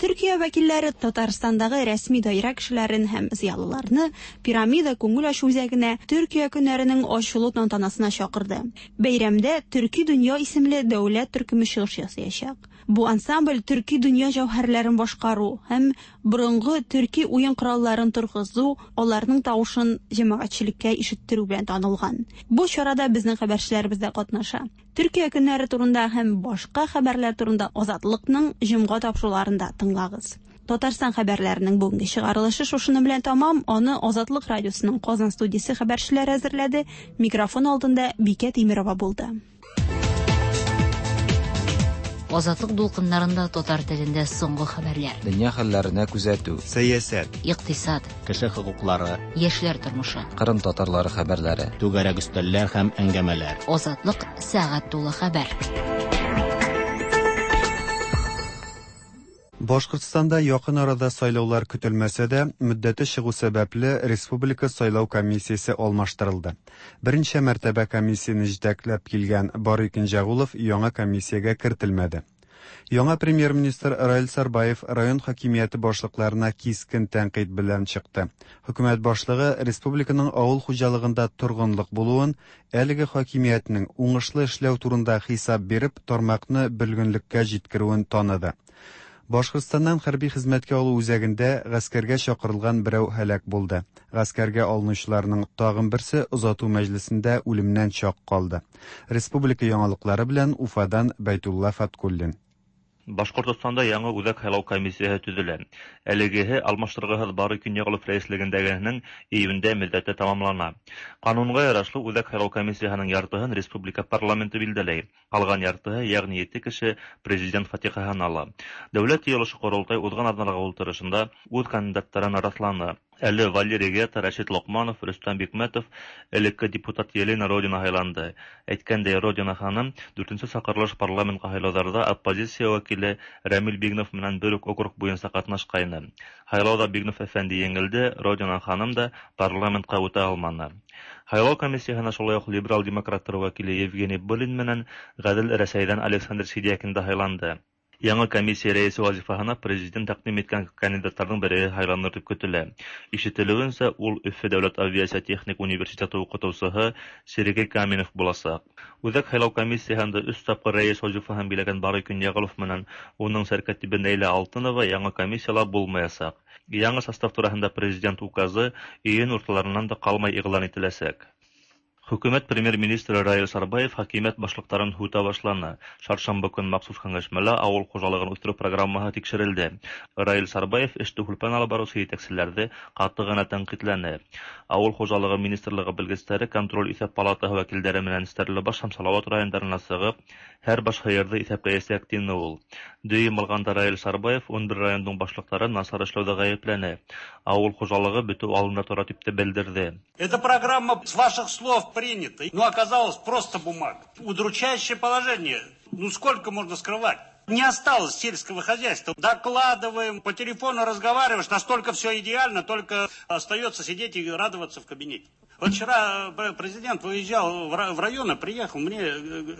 Төркия вәкилләре Татарстандагы рәсми даирә кешеләрен һәм зыялыларны Пирамида күңел ачу үзәгенә Төркия көннәренең ачылу тантанасына чакырды. Бәйрәмдә Төрки дөнья исемле дәүләт төркеме чыгыш ясаячак. Бу ансамбль төрки дөнья җәүһәрләрен башкару һәм борынгы төрки уен коралларын торгызу, аларның тавышын җәмәгатьчелеккә ишеттерү белән танылган. Бу чарада безнең хәбәрчеләребез дә катнаша. Төркия көннәре турында һәм башка хәбәрләр турында Азатлыкның җомга тапшыруларында тыңлагыз. Татарстан хәбәрләренең бүгенге чыгарылышы шушыны белән тамам. Аны Азатлык радиосының Казан студиясе хәбәрчеләре әзерләде. Микрофон алдында Бикә Тимирова булды. Азатлык дулкыннарында татар телендә соңгы хәбәрләр. Дөнья хәлләренә күзәтү, сәясәт, икътисад, кеше хокуклары, яшьләр тормышы, Кырым татарлары хәбәрләре, түгәрәк өстәлләр һәм әңгәмәләр. Азатлык сәгать тулы хәбәр. Башкортстанда якын арада сайлаулар көтелмәсә дә, мөддәте чыгу сәбәпле Республика сайлау комиссиясе алмаштырылды. Берничә мәртәбә комиссияне җитәкләп килгән Барый Кенҗәгулов яңа комиссиягә кертелмәде. Яңа премьер-министр Раил Сарбаев район хакимияте башлыкларына кискен тәнкыйть белән чыкты. Хөкүмәт башлыгы республиканың авыл хуҗалыгында торгынлык булуын, әлеге хакимиятнең уңышлы эшләү турында хисап биреп, тармакны бөлгенлеккә җиткерүен таныды. Башкортстаннан хәрби хезмәткә алу үзәгендә гаскәргә чакырылган берәү һәлак булды. Гаскәргә алынучыларның тагын берсе озату мәҗлесендә үлемнән чак калды. Республика яңалыклары белән Уфадан Бәйтулла Фаткуллин. Башкортостанда яңа үзәк һайлау комиссияһы төзелә. Әлегеһе алмаштыргыһыҙ Барый Көньяғылов рәислегендәгеһенең июндә мөддәте тамамлана. Ҡанунға ярашлы үҙәк һайлау комиссияһының яртыһын республика парламенты билдәләй. Ҡалған яртыһы, йәғни ете кеше, президент фатихаһын ала. Дәүләт йыйылышы ҡоролтай уҙған аҙналағы ултырышында үҙ кандидаттарын раҫланы. Әле Валерий Гета, Рәшит Лоҡманов, Рөстәм Бикмәтов, элекке депутат Елена Родина һайланды. Әйткәндәй, Родина ханым дүртенсе саҡырылыш парламентҡа һайлауҙарҙа оппозиция вәкиле Рәмил Бигнов менән бер үк округ буйынса ҡатнашҡайны. Һайлауҙа Бигнов әфәнде еңелде, Родина ханым да парламентҡа үтә алманы. Һайлау комиссияһына шулай уҡ либерал демократтар вәкиле Евгений Былин менән Ғәҙел Рәсәйҙән Александр Сидякин да һайланды. Яңы комиссия рәисе вазифаһына президент тәҡдим иткән кандидаттарҙың береһе һайланыр тип көтөлә. Ишетелеүенсә, ул Өфө дәүләт авиация техник университеты уҡытыусыһы Сергей Каменев буласаҡ. Үҙәк һайлау комиссияһында өс тапҡыр рәйес вазифаһын биләгән Барый Көньяғылов менән уның сәркәтибе Нәйлә Алтынова яңы комиссияла булмаясаҡ. Яңы состав тураһында президент указы июнь урталарынан да ҡалмай иғлан ителәсәк. Хөкүмәт премьер-министры Раил Сарбаев хакимият башлыктарын һүтә башланы. Шаршамбы көн махсус киңәшмәлә авыл хуҗалыгын үстерү программаһы тикшерелде. Раил Сарбаев эште һүлпән алып баручы җитәкчеләрҙе ҡаты ғына тәнҡитләне. Авыл хужалығы министрлығы белгестәре контроль иҫәп палатаһы вәкилдәре менән Стәрлебаш һәм Салават райондарына сығып, һәр баш һыйырҙы иҫәпләйәсәк, тине ул. Дөйөм алғанда Раил Сарбаев ун бер райондың башлыҡтарын насар эшләүҙә ғәйепләне. Ауыл хужалығы бөтөү алдында тора тип тә белдерҙе. Эта программа с ваших слов принята, но оказалось просто бумага. Удручающее положение. Ну сколько можно скрывать? Не осталось сельского хозяйства. Докладываем, по телефону разговариваешь, настолько все идеально, только остается сидеть и радоваться в кабинете. Вот вчера президент выезжал в районы, приехал, мне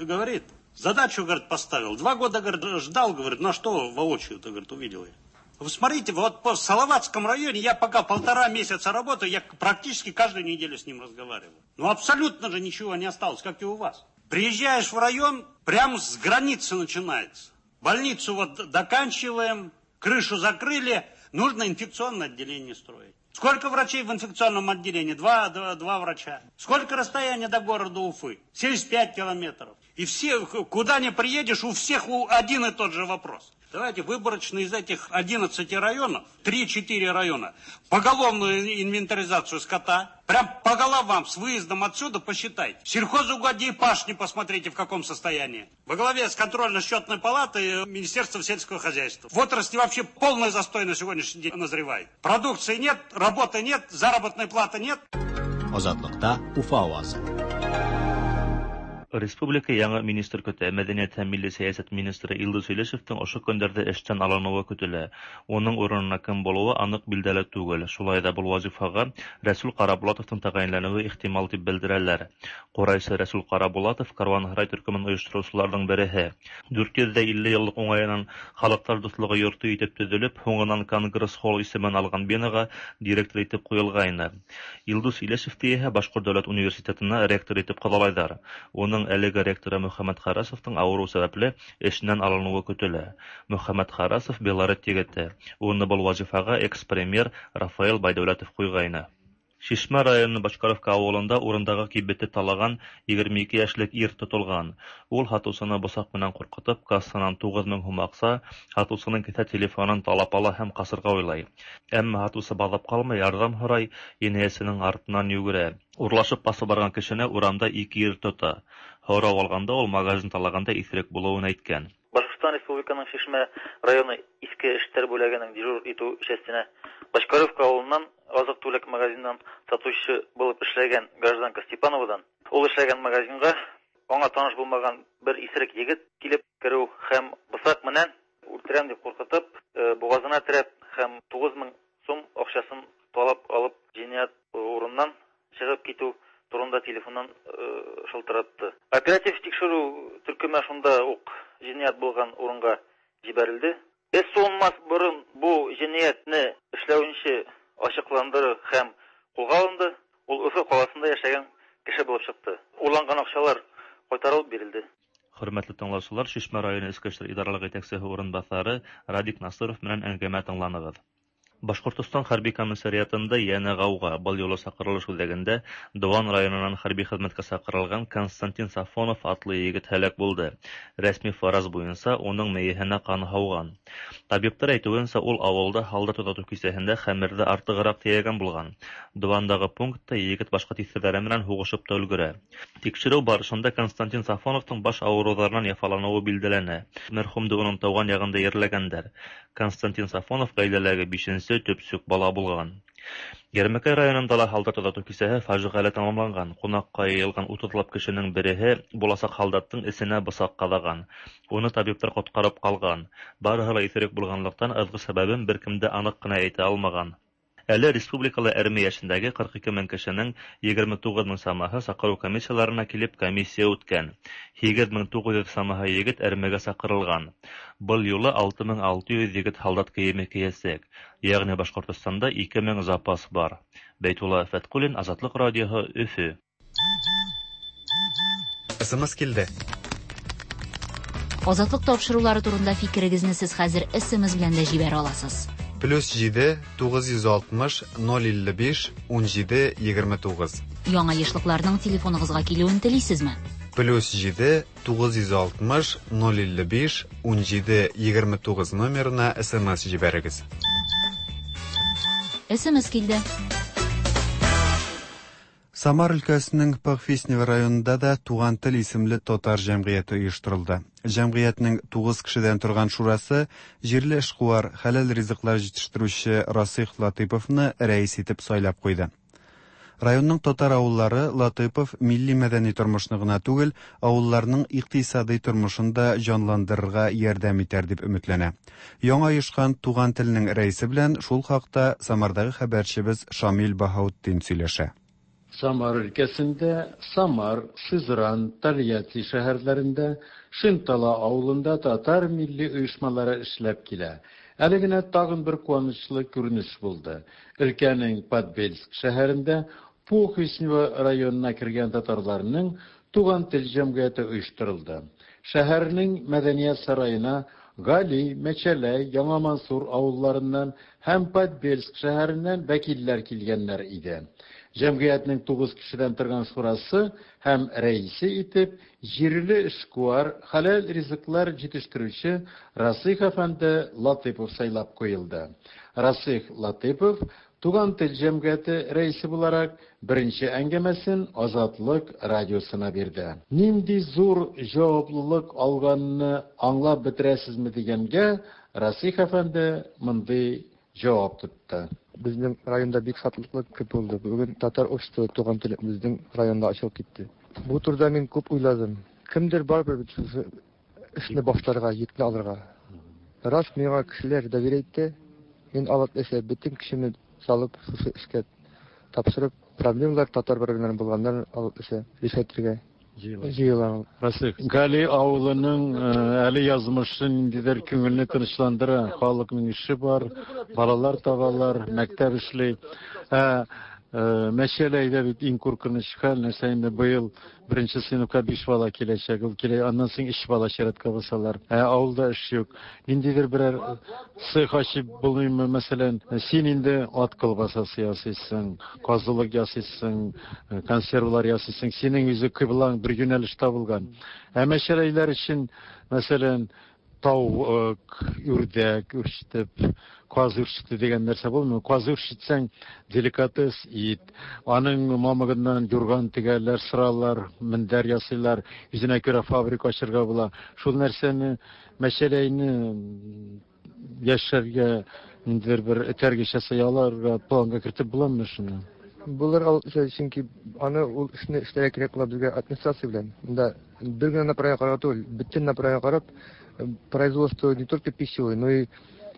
говорит, задачу, говорит, поставил. Два года, говорит, ждал, говорит, на что воочию-то, говорит, увидел я. Вы смотрите, вот по Салаватском районе я пока полтора месяца работаю, я практически каждую неделю с ним разговариваю. Ну абсолютно же ничего не осталось, как и у вас. Приезжаешь в район, прямо с границы начинается. Больницу вот доканчиваем, крышу закрыли, нужно инфекционное отделение строить. Сколько врачей в инфекционном отделении? Два, два, два врача. Сколько расстояние до города Уфы? семьдесят пять километров. И все, куда ни приедешь, у всех один и тот же вопрос. Давайте выборочно из этих одиннадцати районов, три-четыре района, поголовную инвентаризацию скота, прям по головам с выездом отсюда посчитайте. Сельхозугодья и пашни посмотрите, в каком состоянии. Во главе с контрольно-счетной палатой Министерства сельского хозяйства. В отрасли вообще полный застой на сегодняшний день назревает. Продукции нет, работы нет, заработной платы нет. Азатлыкта Уфа авазы. Республика яңы министр көтә. Мәдәниәт һәм милли сәйәсәт министры Илдус Илешевтең ошо көндәрҙә эштән алыныуы көтөлә. Уның урынына кем булыуы аныҡ билдәле түгел. Шулай ҙа был вазифаға Рәсүл Ҡарабулатовтың тәғәйенләнеүе ихтимал тип белдерәләр. Ҡурайсы Рәсүл Ҡарабулатов Каруанһарай төркөмөн ойоштороусыларҙың береһе. Дүрт йөҙ илле йыллыҡ уңайынан Халыҡтар дуҫлығы йорто итеп төҙөлөп, һуңынан Конгресс-холл исемен алған бинаға директор итеп ҡуйылғайны. Илдус Илешевте иһә Башҡорт дәүләт университетына ректор итеп ҡалалайҙар. Уның әлеге ректоры Мөхәммәт Харасовтың ауырыу сәбәпле эшенән алыныуы көтөлә. Мөхәммәт Харасов Белорет егете. Уны был вазифаға экс-премьер Рафаэл Байдәүләтов ҡуйғайны. Шишмә районы Башкаровка ауылында урындағы кибетте талаған егерме ике йәшлек ир тотолған. Ул һатыусыны бысаҡ менән ҡурҡытып, кассанан туғыҙ мең һум аҡса, һатыусының кеҫә телефонын талап ала һәм ҡасырға уйлай. Әммә һатыусы баҙап ҡалмай, ярҙам һорай, енәйәсенең артынан йүгерә. Урлашып ҡасып барған кешене урамда ике ир тота. Һорау алғанда ул магазин талағанда иҫерек булыуын әйткән. Башҡортостан Республиканың Шишмә районы Иҫке эштәр бүлегенең дежур итеү частенә Башкаровка ауылынан азыҡ-түлек магазинынан сатыусы булып эшләгән гражданка Степановадан ул эшләгән магазинға аңа таныш булмаған бер иҫерек егет килеп кереү һәм бысаҡ менән үлтерәм дип ҡурҡытып, боғаҙына терәп һәм туғыҙ мең сум аҡсасын талап алып енәйәт урынынан сығып китеү турында телефоннан шылтыратты. Оператив тикшереү төркөмө шунда уҡ енәйәт булған урынға ебәрелде. Эш суынмаҫ борон бу енәйәтне эшләүенсе асыҡландырыу һәм ҡулға алынды. Ул Өфө ҡалаһында йәшәгән кеше булып сыҡты. Урланған аҡсалар ҡайтарылып бирелде. Хөрмәтле тыңлаусылар, Шишмә районы Эске эштәр идаралыҡ етәксеһе урынбаҫары Радик Насыров менән әңгәмә тыңланығыҙ. Башҡортостан хәрби комиссариатында йәнә ғауға. Был юлы саҡырылыш үҙәгендә Дыуан районынан хәрби хеҙмәткә саҡырылған Константин Сафонов атлы егет һәләк булды. Рәсми фараз буйынса уның мейеһенә ҡан һауған. Табиптар әйтеүенсә, ул ауылда һалдат оҙатыу кисәһендә хәмерҙе артығыраҡ тейәгән булған. Дыуандағы пунктта егет башҡа тиҫтерҙәре менән һуғышып та өлгөрә. Тикшереү барышында Константин Сафоновтың баш ауырыуҙарынан яфаланыуы билдәләнә. Мәрхүмде уның тыуған яғында ерләгәндәр. Константин Сафонов ғаиләләге бишенсе төпсөк бала булған. Йәрмәкәй районында ла һалдат оҙатыу кисәһе фажиғәле тамамланған. Ҡунаҡҡа йыйылған утыҙлап кешенең береһе буласаҡ һалдаттың эсенә бысаҡ ҡаҙаған. Уны табиптар ҡотҡарып ҡалған. Барыһы ла иҫерек булғанлыҡтан ыҙғы сәбәбен бер кем дә аныҡ ҡына әйтә алмаған. Әле республикала әрме йәшендәге ҡырҡ ике мең кешенең егерме туғыҙ мең самаһы саҡырыу комиссияларына килеп комиссия үткән. Һигеҙ мең туғыҙ йөҙ самаһы егет әрмегә саҡырылған. Был юлы алты мең алты йөҙ егет һалдат кейеме кейәсәк. Йәғни Башҡортостанда ике мең запас бар. Бәйтулла Фәтҡуллин, Азатлыҡ радиоһы, Өфө. СМС килде. Азатлыҡ тапшырыулары турында фикерегеҙҙе һеҙ хәҙер СМС белән дә ебәрә аласыз. Плюс җиде, тугыз йөз алтмыш, ноль илле биш, ун җиде, егерме тугыз. Яңа ешлыкларның телефоныгызга килүен телисезме? Плюс җиде тугыз йөз алтмыш ноль илле биш унҗиде егерме тугыз номерына смс җибәрегез. СМС килде. Самар өлкәсенең Похвистнево районында да Туган тел исемле татар җәмгыяте оештырылды. Җәмгыятьнең тугыз кешедән торган шурасы җирле эшкуар, хәләл ризыклар җитештерүче Расыйх Латыйповны рәис итеп сайлап куйды. Районның татар авыллары Латыйпов милли-мәдәни тормышны гына түгел, авылларның икътисадый тормышын да җанландырырга ярдәм итәр дип өметләнә. Яңа оешкан Туган телнең рәисе белән шул хакта Самардагы хәбәрчебез Шамил Баһаутдин сөйләшә. Самар өлкәсендә Самар, Сызран, Тольятти шәһәрләрендә, Шинтала авылында татар милли оешмалары эшләп килә. Әле генә тагын бер куанычлы күренеш булды. Өлкәнең Подбельск шәһәрендә Похвистнево районына кергән татарларның Туган тел җәмгыяте оештырылды. Шәһәрнең мәдәният сараена Гали, Мәчәләй, Яңа Мансур авылларыннан һәм Подбельск шәһәреннән вәкилләр килгәннәр иде. Җәмгыятьнең тугыз кешедән торган шурасы һәм рәисе итеп җирле эшкуар, хәләл ризыклар җитештерүче Расыйх әфәнде Латыйпов сайлап куелды. Расыйх Латыйпов Туган тел җәмгыяте рәисе буларак беренче әңгәмәсен Азатлык радиосына бирде. Нинди зур җаваплылык алганны аңлап бетерәсезме дигәнгә Расыйх әфәнде мондый җавап тотты. Безнең районда бик шатлыклы көн булды. Бүген татар обществосы Туган тел безнең районда ачылып китте. Бу турыда мин күп уйладым. Кемдер барыбер бит шушы эшне башларга, йөкне алырга. Рас миңа кешеләр доверие итте. Мин алып эшләп бөтен кешене салып шушы эшкә тапшырып, проблемалар татар берлегеннән булганнар алып эше решәтергә җыела. Расыйх, Гали авылының әле язмышы ниндидер күңелне тынычландыра. Халыкның эше бар, балалар табалар, мәктәп эшли. Ә Мәчәләйдә бит иң куркыныч хәл, нәрсә инде быел беренче сыйныфка биш бала киләчәк, ул килә, аннан соң өч бала чиратка басалар. Ә авылда эш юк. Ниндидер берәр цех ачып булмыймы, мәсәлән, син инде ат колбасасы ясыйсың, казылык ясыйсың, консервлар ясыйсың, синең үзе кыйблаң бер юнәлеш табылган. Ә мәчәләйләр өчен, мәсәлән, тавык, үрдәк үрчетеп, каз үрчетү дигән нәрсә булмый. Каз үрчетсәң, деликатес ит, аның мамыгыннан юрган тегәләр, сыралар, мендәр ясыйлар, үзенә күрә фабрика ачырга була. Шул нәрсәне, мәчәләйне яшәргә ниндидер бер этәргеч ясый аларга планга кертеп буламы шуны? Булыр, чөнки аны ул эшне эшләргә кирәк була безгә администрация белән. Монда бер генә направление карап түгел, бөтен направление карап, производство не только пищевое, но и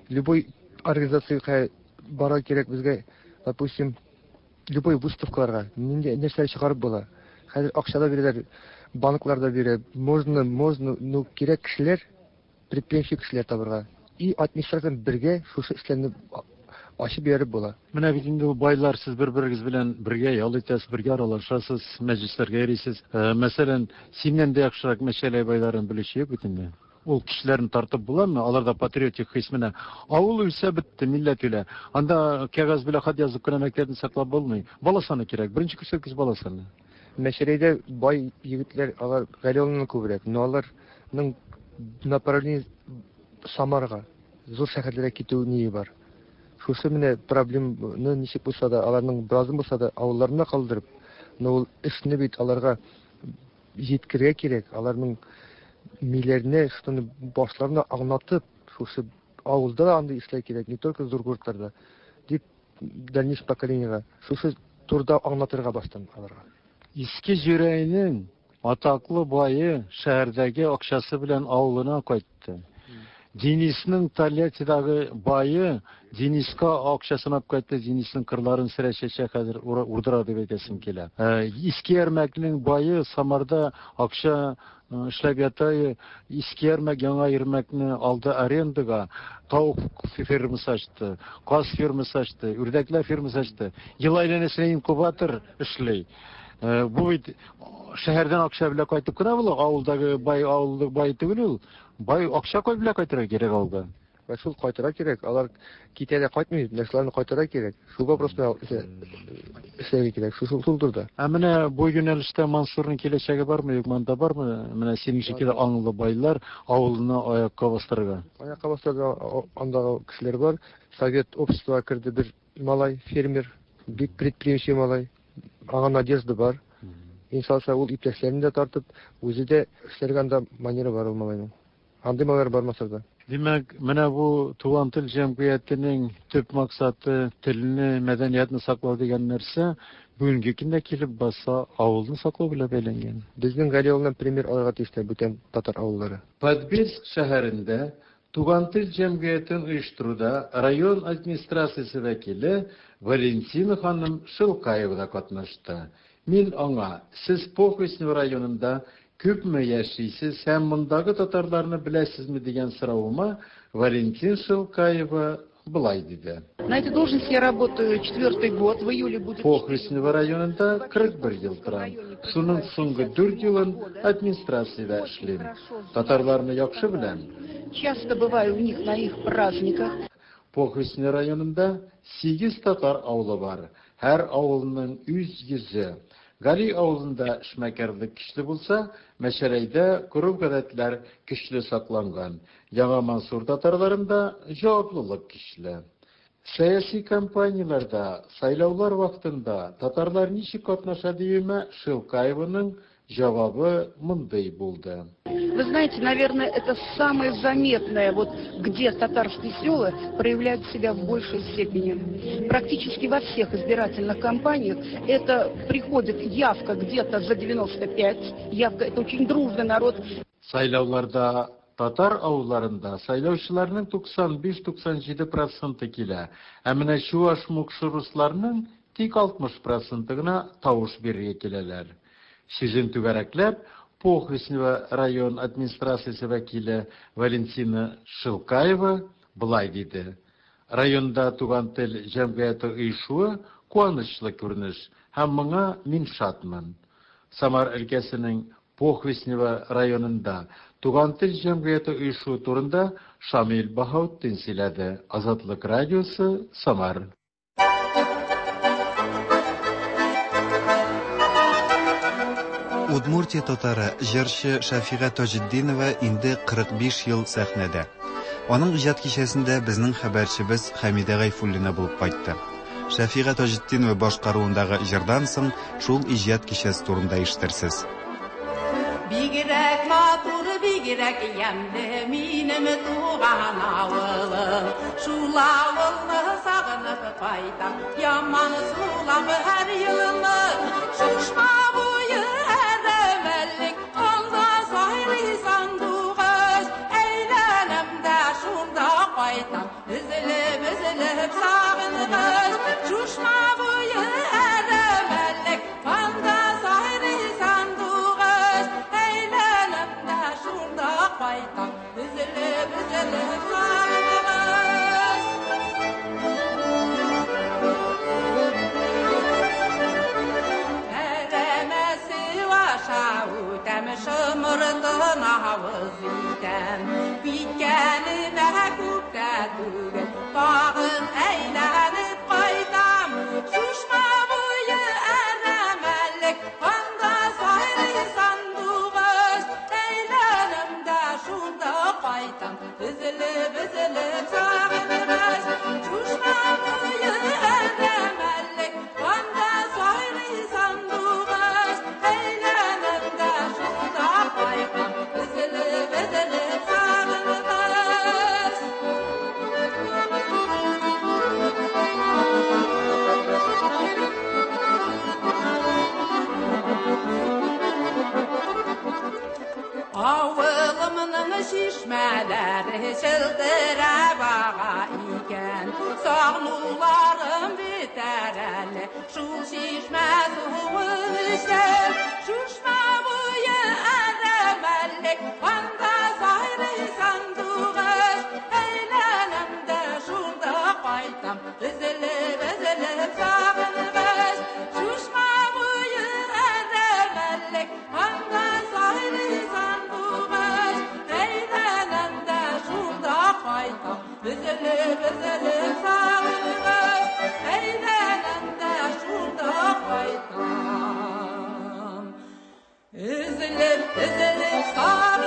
любой организацияга бара кирәк безгә, допустим, любой выставкаларга нинди нәрсәләр чыгарып була. Хәзер акча да бирәләр, банклар да бирә. Можно, можно, но кирәк кешеләр, предприимчив кешеләр табырга. И администрация бергә шушы эшләрне ачып биреп була. Менә бит инде байлар, сез бер-берегез белән бергә ял итәсез, бергә аралашасыз, мәҗлесләргә йөрисез. Мәсәлән, синнән дә яхшырак мәчәләй байларын белүче юк бит инде. Ул кешеләрне тартып буламы? Аларда патриотик хис менә. Авыл үлсә бетте, милләт үлә. Анда кәгазь белән хат язып кына мәктәпне саклап булмый. Бала саны кирәк. Беренче күрсәткеч бала саны. Мәчәләйдә бай егетләр, алар Галиуллиннан күбрәк, но аларның направление Самарга, зур шәһәрләргә китү ние бар. Шушы менә проблеманы ничек булса да, аларның беразын булса да авылларына калдырып, но ул эшне бит аларга җиткерергә кирәк, аларның миләренә, шуны башларына аңлатып, шушы авылда да андый эшләр кирәк, не только зур городтарда, дип дальнейшее поколениега шушы турда аңлатырга баштан аларга. Иске Җүрәйнең атаклы бае шәһәрдәге акчасы белән авылына кайтты. Денисның Тольяттидагы бае Дениска акчасын алып кайтты, Денисның кырларын сөрәчәчә хәзер урдыра дип әйтәсем килә. Иске Ярмәкнең бае Самарда акча эшләп ята, Иске Ярмәк, Яңа Ярмәкне алды арендага, тавык фермасы ачты, каз фермасы ачты, үрдәкләр фермасы ачты. Ел әйләнәсенә инкубатор эшли. Бу бит шәһәрдән акча белән кайтып кына була, авылдагы бай авылдагы бай түгел ул. Бай акча кой белән кайтырга кирәк авылда. Шул кайтара кирәк. Алар китә дә кайтмый, менә шуларны кайтара кирәк. Шул вопросны эшләргә кирәк. Шул шул турыда. Ә менә бу юнәлештә Мансурның киләчәге бармы, юкмы, анда бармы? Менә синең шикелле аңлы байлар авылны аякка бастырырга. Аякка бастырырга андагы кешеләр бар. Совет обществога керде бер малай, фермер, бик предприимчивый малай. Аңа надежда бар. Иншалла, ул иптәшләрен дә тартып, үзе дә эшләргә анда манера бар ул малайның. Андый малайлар бар Мансурда. Димәк, менә бу Туган тел җәмгыятенең төп максаты телне, мәдәниятне саклау дигән нәрсә бүгенге көндә килеп баса авылны саклау белән бәйләнгән. Безнең Гали авылыннан пример алырга тиешләр бүтән татар авыллары. Подбельск шәһәрендә Туган тел җәмгыятен оештыруда район администрациясе вәкиле Валентина ханым Шилкаева да катнашты. Мин аңа, сез Похвистнево районында күпме яшисез һәм мондагы татарларны беләсезме дигән соравыма Валентин Шилкаева былай диде. На этой должности я работаю четвертый год, в июле будет... Похвистнево районында кырык бер ел торам. Шуның соңгы дүрт елын администрациядә эшлим. Татарларны яхшы беләм. Часто бываю у них на их праздниках. Похвистнево районында сигез татар авылы бар. Һәр авылның үз йөзе. Гали авылында эшмәкәрлек көчле булса, Мәчәрәйдә гореф-гадәтләр көчле сакланган. Яңа Мансур татарларында җаваплылык көчле. Сәяси кампанияләрдә, сайлаулар вакытында татарлар ничек катнаша диюемә Шилкаеваның җавабы мондый булды. Вы знаете, наверное, это самое заметное, вот где татарские села проявляют себя в большей степени. Практически во всех избирательных кампаниях это приходит явка где-то за девяносто пять, явка, это очень дружный народ. Сайлауларда татар авылларында сайлаучыларның туксан биш-туксан җиде проценты килә. Ә менә чуаш мукшы русларның тик алтмыш проценты гына тавыш бирергә киләләр. Сүзен түгәрәкләп, Похвистнево район администрациясе вәкиле Валентина Шилкаева былай диде. Районда Туган тел җәмгыяте оешуы куанычлы күренеш һәм моңа мин шатмын. Самар өлкәсенең Похвистнево районында Туган тел җәмгыяте оешуы турында Шамил Баһаутдин сөйләде. Азатлык радиосы, Самар. Удмуртия татары җырчы Шәфига Таҗетдинова инде кырык биш ел сәхнәдә. Аның иҗат кичәсендә безнең хәбәрчебез Хәмидә Гайфуллина булып кайтты. Шәфига Таҗетдинова башкаруындагы җырдан соң шул иҗат кичәсе турында ишетерсез. Бигрәк матур, бигрәк ямьле минем туган авылым. Шул авылны сагынып кайтам, яман сулап һәр елны. Шушма буе әрәмәлек, анда сайрый сандугач. Әйләнәм дә шунда кайтам, өзелеп, өзелеп сагынгач. Шушма буе әрәмәлек, анда сайрый сандугач. Әйләнәм дә шунда кайтам, өзелеп, өзелеп сагынгач. Әрәмәсе аша үтәм, шымыртын авыз итәм. Киткәнемә күп тә түгел, тагын әйләнеп кайтам. Шушма буе әрәмәлек, анда сайрый сандугач. Әйләнәм дә шунда кайтам, өзелеп, өзелеп сагынгач. Шушма буе әрәмәлек, анда сайрый сандугач. Әйләнәм дә шунда кайтам, өзелеп, өзелеп сагынгач. Авылымның чишмәләре челтерәп ага икән. Сагынуларым бетәр әле, шул чишмә суын эчәм. Шушма буе әрәмәлек, анда сайрый сандугач. Әйләнәм дә шунда кайтам, өзелеп, өзелеп сагынгач. Шушма буе әрәмәлек, анда сайрый сандугач. Әйләнәм дә шунда кайтам, Йөрдем өзелеп сарылган.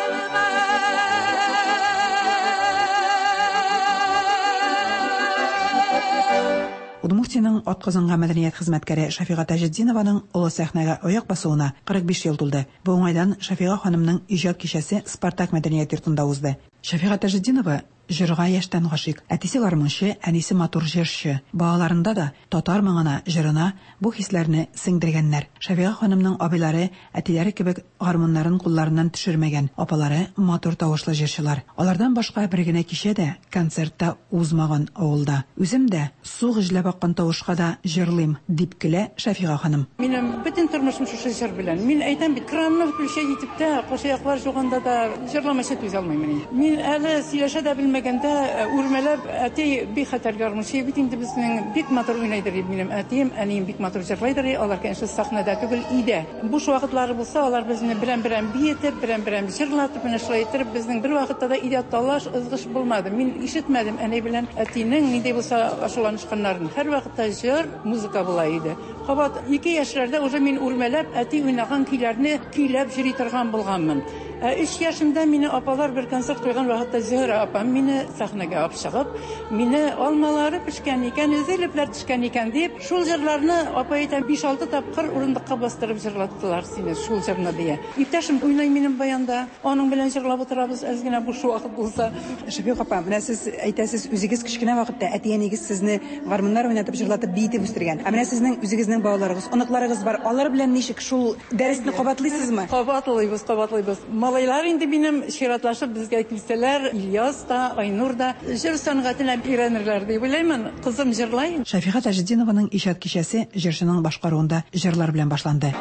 Удмуртиянең атказанган мәдәният хезмәткәре Шафига Таҗетдинованың олы сәхнәгә аяк басуына кырык биш ел тулды. Бу уңайдан Шафига ханымның иҗат кичәсе Спартак мәдәният йортында узды. Шафига Таҗетдинова җырга яшьтән гашыйк. Әтисе гармунчы, әнисе матур җырчы. Балаларында да татар моңына, җырына бу хисләрне сеңдергәннәр. Шафига ханымның абыйлары әтиләре кебек гармуннарын кулларыннан төшермәгән. Апалары матур тавышлы җырчылар. Алардан башка бер генә кичә дә концертта узмаган авылда. Үзем дә су гөжләп аккан тавышка да җырлыйм, дип көлә Шафига ханым. Минем бөтен тормышым шушы җыр белән. Мин әйтәм бит, кранны включать итеп тә, кошаяклар жуганда да җырламыйча түзә алмыйм мин. Мин әле сөйләшә дә белмәгәндә үрмәләп әти бик хәтәр гармунчы бит инде безнең, бик матур уйнайдыр минем әтием, әнием бик матур җырлайдыр. Алар, конечно, сәхнәдә түгел, өйдә. Буш вакытлары булса, алар безне берәм-берәм биетеп, берәм-берәм җырлатып, менә шулай итеп, безнең бер вакытта да өйдә талаш, ызгыш булмады. Мин ишетмәдем әни белән әтинең нинди булса ачуланышканнарын. Һәр вакытта җыр, музыка була иде. Кабат ике яшьләрдә уже мин үрмәләп әти уйнаган көйләрне көйләп йөри торган булганмын. Өч яшемдә мине апалар бер концерт куйган вакытта Зөһрә апам мине сәхнәгә алып чыгып, мине алмалары пешкән икән, өзелепләр төшкән икән дип, шул җырларны апа әйтә биш-алты тапкыр урындыкка бастырып җырлаттылар сине шул җырны дия. Иптәшем уйнай минем баянда, аның белән җырлап утырабыз, әз генә буш вакыт булса. Шафига апа, менә сез әйтәсез, үзегез кечкенә вакытта әти-әнигез сезне гармуннар уйнатып җырлатып биетеп үстергән. Ә менә сезнең үзегезнең балаларыгыз, оныкларыгыз бар. Алар белән ничек шул дәресне кабатлыйсызмы? Кабатлыйбыз, кабатлыйбыз. Малайлар инде минем чиратлашып безгә килсәләр, Ильяс та, Айнур да җыр сәнгатенә өйрәнерләр дип уйлыймын. Кызым җырлай. Шафига Таҗетдинованың иҗат кичәсе җырчының башкаруында җырлар белән башланды.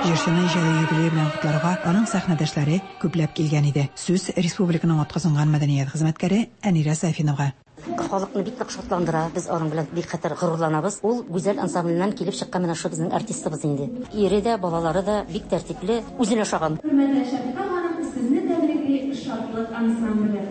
Җырчыны иҗади юбилее белән котларга аның сәхнәдәшләре күпләп килгән иде. Сүз республиканың атказанган мәдәният хезмәткәре Әнирә Сафинова. Халыкны бик нык шатландыра, без аның белән бик хәтәр горурланабыз. Ул Гүзәл ансамбленнән килеп чыккан менә шул безнең артистыбыз инде. Ире дә, балалары да бик тәртипле, үзенә ошаган. Хөрмәтле Шафига ханым, сезне тәбрикли Шатлык ансамбле.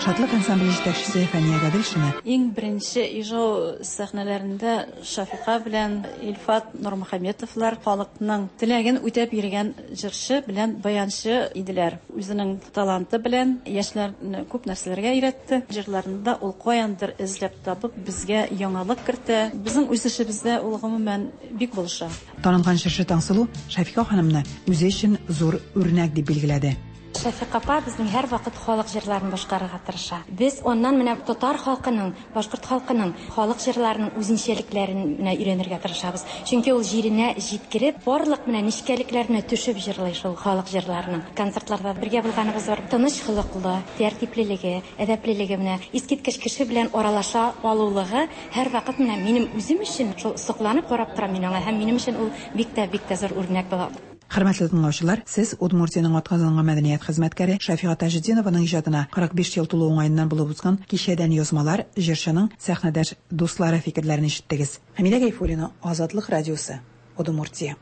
Шатлык ансамбле җитәкчесе Фәния Гаделшина. Иң беренче Ижау сәхнәләрендә Шафига белән Илфат Нурмөхәммәтовлар халыкның теләген үтәп йөргән җырчы белән баянчы иделәр. Үзенең таланты белән яшьләрне күп нәрсәләргә өйрәтте. Җырларында ул каяндыр эзләп табып безгә яңалык кертә. Безнең үсешебездә ул гомумән бик булыша. Танылган җырчы Таңсылу Шафига ханымны үзе өчен зур үрнәк дип билгеләде. Шафига апа безнең һәр вакыт халык җырларын башкарырга тырыша. Без оннан менә татар халкының, башкорт халкының халык җырларының үзенчәлекләрен менә өйрәнергә тырышабыз. Чөнки ул җиренә җиткереп, барлык менә нечкәлекләренә төшеп җырлый шул халык җырларының. Концертларда бергә булганыбыз бар. Тыныч холыклы, тәртиплелеге, әдәплелеге менә искиткеч кеше белән аралаша алулыгы һәр вакыт менә минем үзем өчен шул сокланып карап торам мин аңа һәм минем өчен ул бик тә бик тә зур үрнәк була. Хөрмәтле тыңлаучылар, сез Удмуртиянең атказанган мәдәният хезмәткәре Шафига Таҗетдинованың иҗатына кырык биш ел тулу уңаеннан булып узган кичәдән язмалар, җырчының сәхнәдәш дуслары фикерләрен ишеттегез. Хәмидә Гайфуллина, Азатлык радиосы, Удмуртия.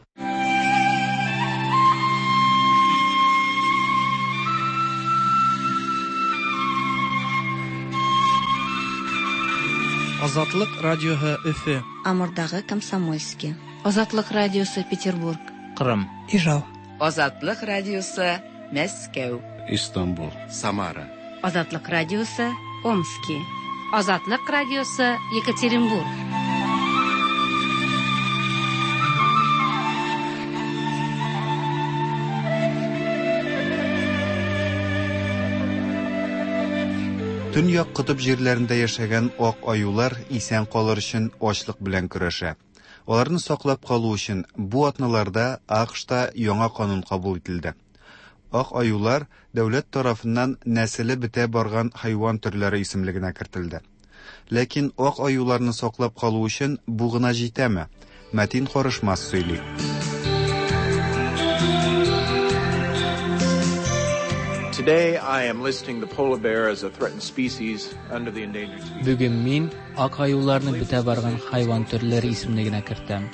Азатлык радиоһы Өфе. Амурдагы Комсомольский. Азатлык радиосы Петербург. Кырым. Ижау. Азатлык радиосы Мәскәү. Истанбул. Самара. Азатлык радиосы, Омски. Азатлык радиосы, Екатеринбург. Төньяк котып җирләрендә яшәгән ак аюлар исән калыр өчен ачлык белән көрәшә. Аларны саклап калу өчен бу атналарда АКШта яңа канун кабул ителде. Ак аюлар дәүләт тарафыннан нәселе бетә барган хайван төрләре исемлегенә кертелде. Ләкин ак аюларны саклап калу өчен бу гына җитәме? Мәтин Карышмас сөйли. Today I am listing the polar bear as a threatened species under the endangered species. Бүген мин ак аюларны бетә барган хайван төрләре исемлегенә кертәм.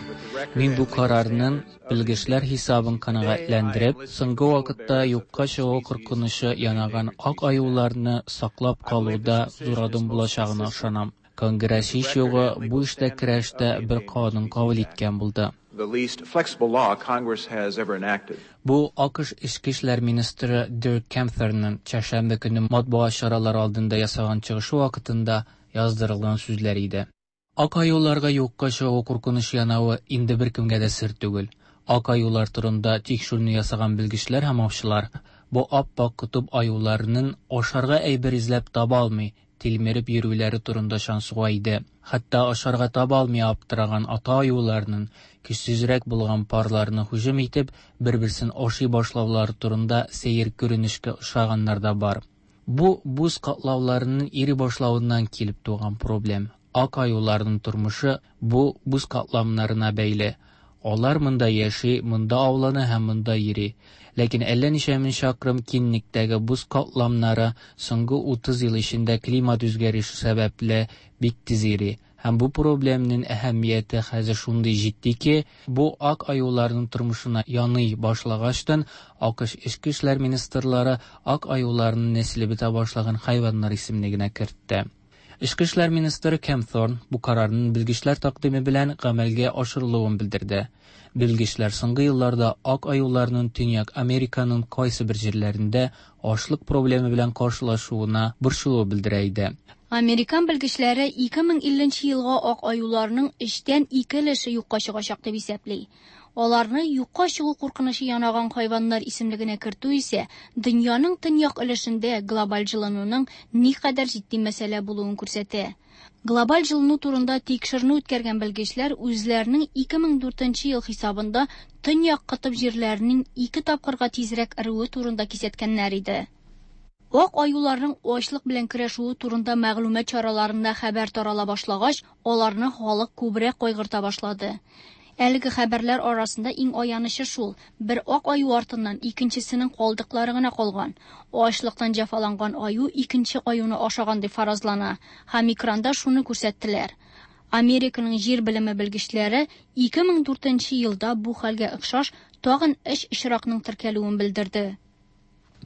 Мин бу карарның белгечләр хисабын канәгатьләндереп, соңгы вакытта юкка чыгу куркынычы янаган ак аюларны саклап калуда зур адым булачагына ышанам. Конгресс һич югы бу эштә көрәштә бер канун кабул иткән булды. The least flexible law Congress has ever enacted. Бу АКШ Эчке эшләр министры Дирк Кемферның чәршәмбе көне матбугат чаралары алдында ясаган чыгышы вакытында яздырылган сүзләр иде. Ак аюларга юкка чыгу куркынычы янавы инде беркемгә дә сер түгел. Ак аюлар турында тикшерүне ясаган белгечләр һәм аучылар бу ап-ак котып аюларының ашарга әйбер эзләп таба алмый, тилмереп йөрүләре турында шансуга иде. Хәтта ашарга таба алмый аптыраган ата аюларның көчсезрәк булган парларны һөҗүм итеп, бер-берсен ашый башлаулары турында сәер күренешкә ошаганнар да бар. Бу буз катлауларының ири башлавыннан килеп туган проблем. Ак аюларның тормышы бу буз катламнарына бәйле. Алар монда яши, монда аулана һәм монда йөри. Ләкин әллә ничә мең чакрым киңлектәге буз катламнары соңгы утыз ел эчендә климат үзгәреше сәбәпле бик тиз ири. Һәм бу проблемның әһәмияте хәзер шундый җитди ки, бу ак аюларның тормышына яный башлагачтан АКШ Эчке эшләр министрлары ак аюларның нәселе бетә башлаган хайваннар исемлегенә кертте. Эчке эшләр министры Кемфорн бу карарның белгечләр тәкъдиме белән гамәлгә ашырылуын белдерде. Белгечләр соңгы елларда ак аюларның Төньяк Американың кайсы бер җирләрендә ачлык проблемы белән каршылашуына борчылу белдерә иде. Американ белгечләре ике мең илленче елга ак аюларның өчтән ике өлеше юкка чыгачак дип исәпли. Аларны юкка чыгу куркынычы янаган хайваннар исемлегенә кертү исә дөньяның төньяк өлешендә глобаль җылынуның никадәр җитди мәсьәлә булуын күрсәтә. Глобаль җылыну турында тикшеренү үткәргән белгечләр үзләренең ике мең дүртенче ел хисабында төньяк котып җирләренең ике тапкырга тизрәк эрүе турында кисәткәннәр иде. Ак аюларның ачлык белән көрәшүе турында мәгълүмат чараларында хәбәр тарала башлагач, аларны халык күбрәк кайгырта башлады. Әлеге хәбәрләр арасында иң аянычы шул: бер ак аю артыннан икенчесенең калдыклары гына калган. Ачлыктан җәфаланган аю икенче аюны ашаган дип фаразлана, һәм экранда шуны күрсәттеләр. Американың җир белеме белгечләре ике мең дүртенче елда бу хәлгә охшаш тагын өч очракның теркәлүен белдерде.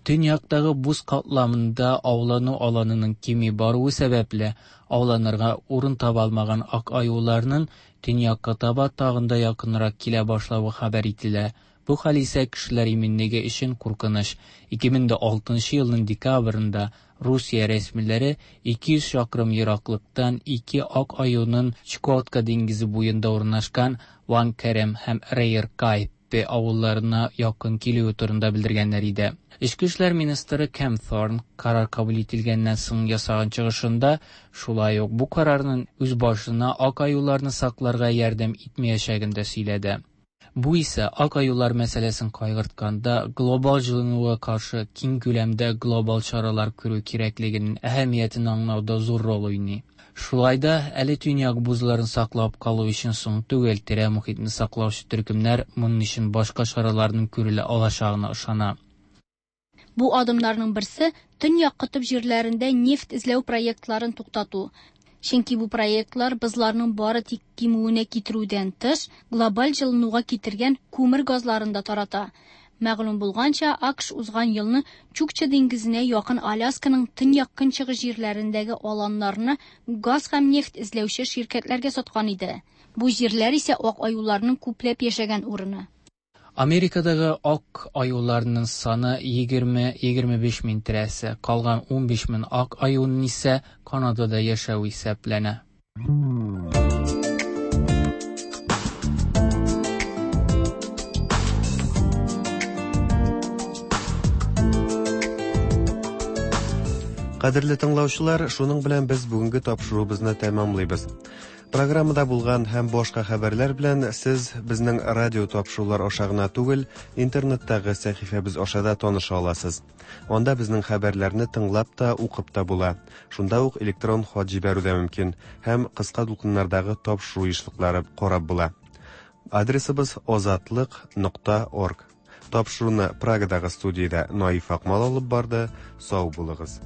Төньяктагы буз катламында аулану аланының кими баруы сәбәпле ауланырга урын таба алмаган ак аюларның төньякка таба тагын да якынрак килә башлавы хәбәр ителә. Бу хәл исә кешеләр иминлеге өчен куркыныч. ике мең алтынчы елның декабрендә Русия рәсмиләре ике йөз чакрым ераклыктан ике ак аюның Чукотка диңгезе буенда урнашкан Ванкерем һәм Рейеркай авылларына якын килүе турында белдергәннәр иде. Эчке эшләр министры Кемфорн карар кабул ителгәннән соң ясаган чыгышында шулай ук бу карарның үз башына ак аюларны сакларга ярдәм итмәячәген дә сөйләде. Бу исә ак аюлар мәсьәләсен кайгыртканда глобаль җылынуга каршы киң күләмдә глобаль чаралар күрү кирәклегенең әһәмиятен аңлауда зур роль уйный. Шулай да әле төньяк бузларын саклап калу өчен соң түгел, тирә мохитне саклаучы төркемнәр моның өчен башка чараларның күрелә алачагына ышана. Бу адымнарның берсе төньяк котып җирләрендә нефть эзләү проектларын туктату. Чөнки бу проектлар бозларның бары тик кимүенә китерүдән тыш, глобаль җылынуга китергән күмер газларын да тарата. Мәгълүм булганча, АКШ узган елны Чукча диңгезенә якын Алясканың төньяк-көнчыгыш җирләрендәге аланнарны газ һәм нефть эзләүче ширкәтләргә саткан иде. Бу җирләр исә ак аюларның күпләп яшәгән урыны. Америкадагы ак аюларның саны егерме-егерме биш мең тирәсе, калган унбиш мең ак аюның исә Канадада яшәве исәпләнә. Кадерле тыңлаучылар, шуның белән без бүгенге тапшыруыбызны тәмамлыйбыз. Программада булган һәм башка хәбәрләр белән сез безнең радио тапшырулар аша гына түгел, интернеттагы сәхифәбез аша да таныша аласыз. Анда безнең хәбәрләрне тыңлап та, укып та була. Шунда ук электрон хат җибәрү дә мөмкин һәм кыска дулкыннардагы тапшыру ешлыклары карап була. Адресыбыз озатлык нокта орг. Тапшыруны Прагадагы студиядә Наиф Акмал алып барды. Сау булыгыз.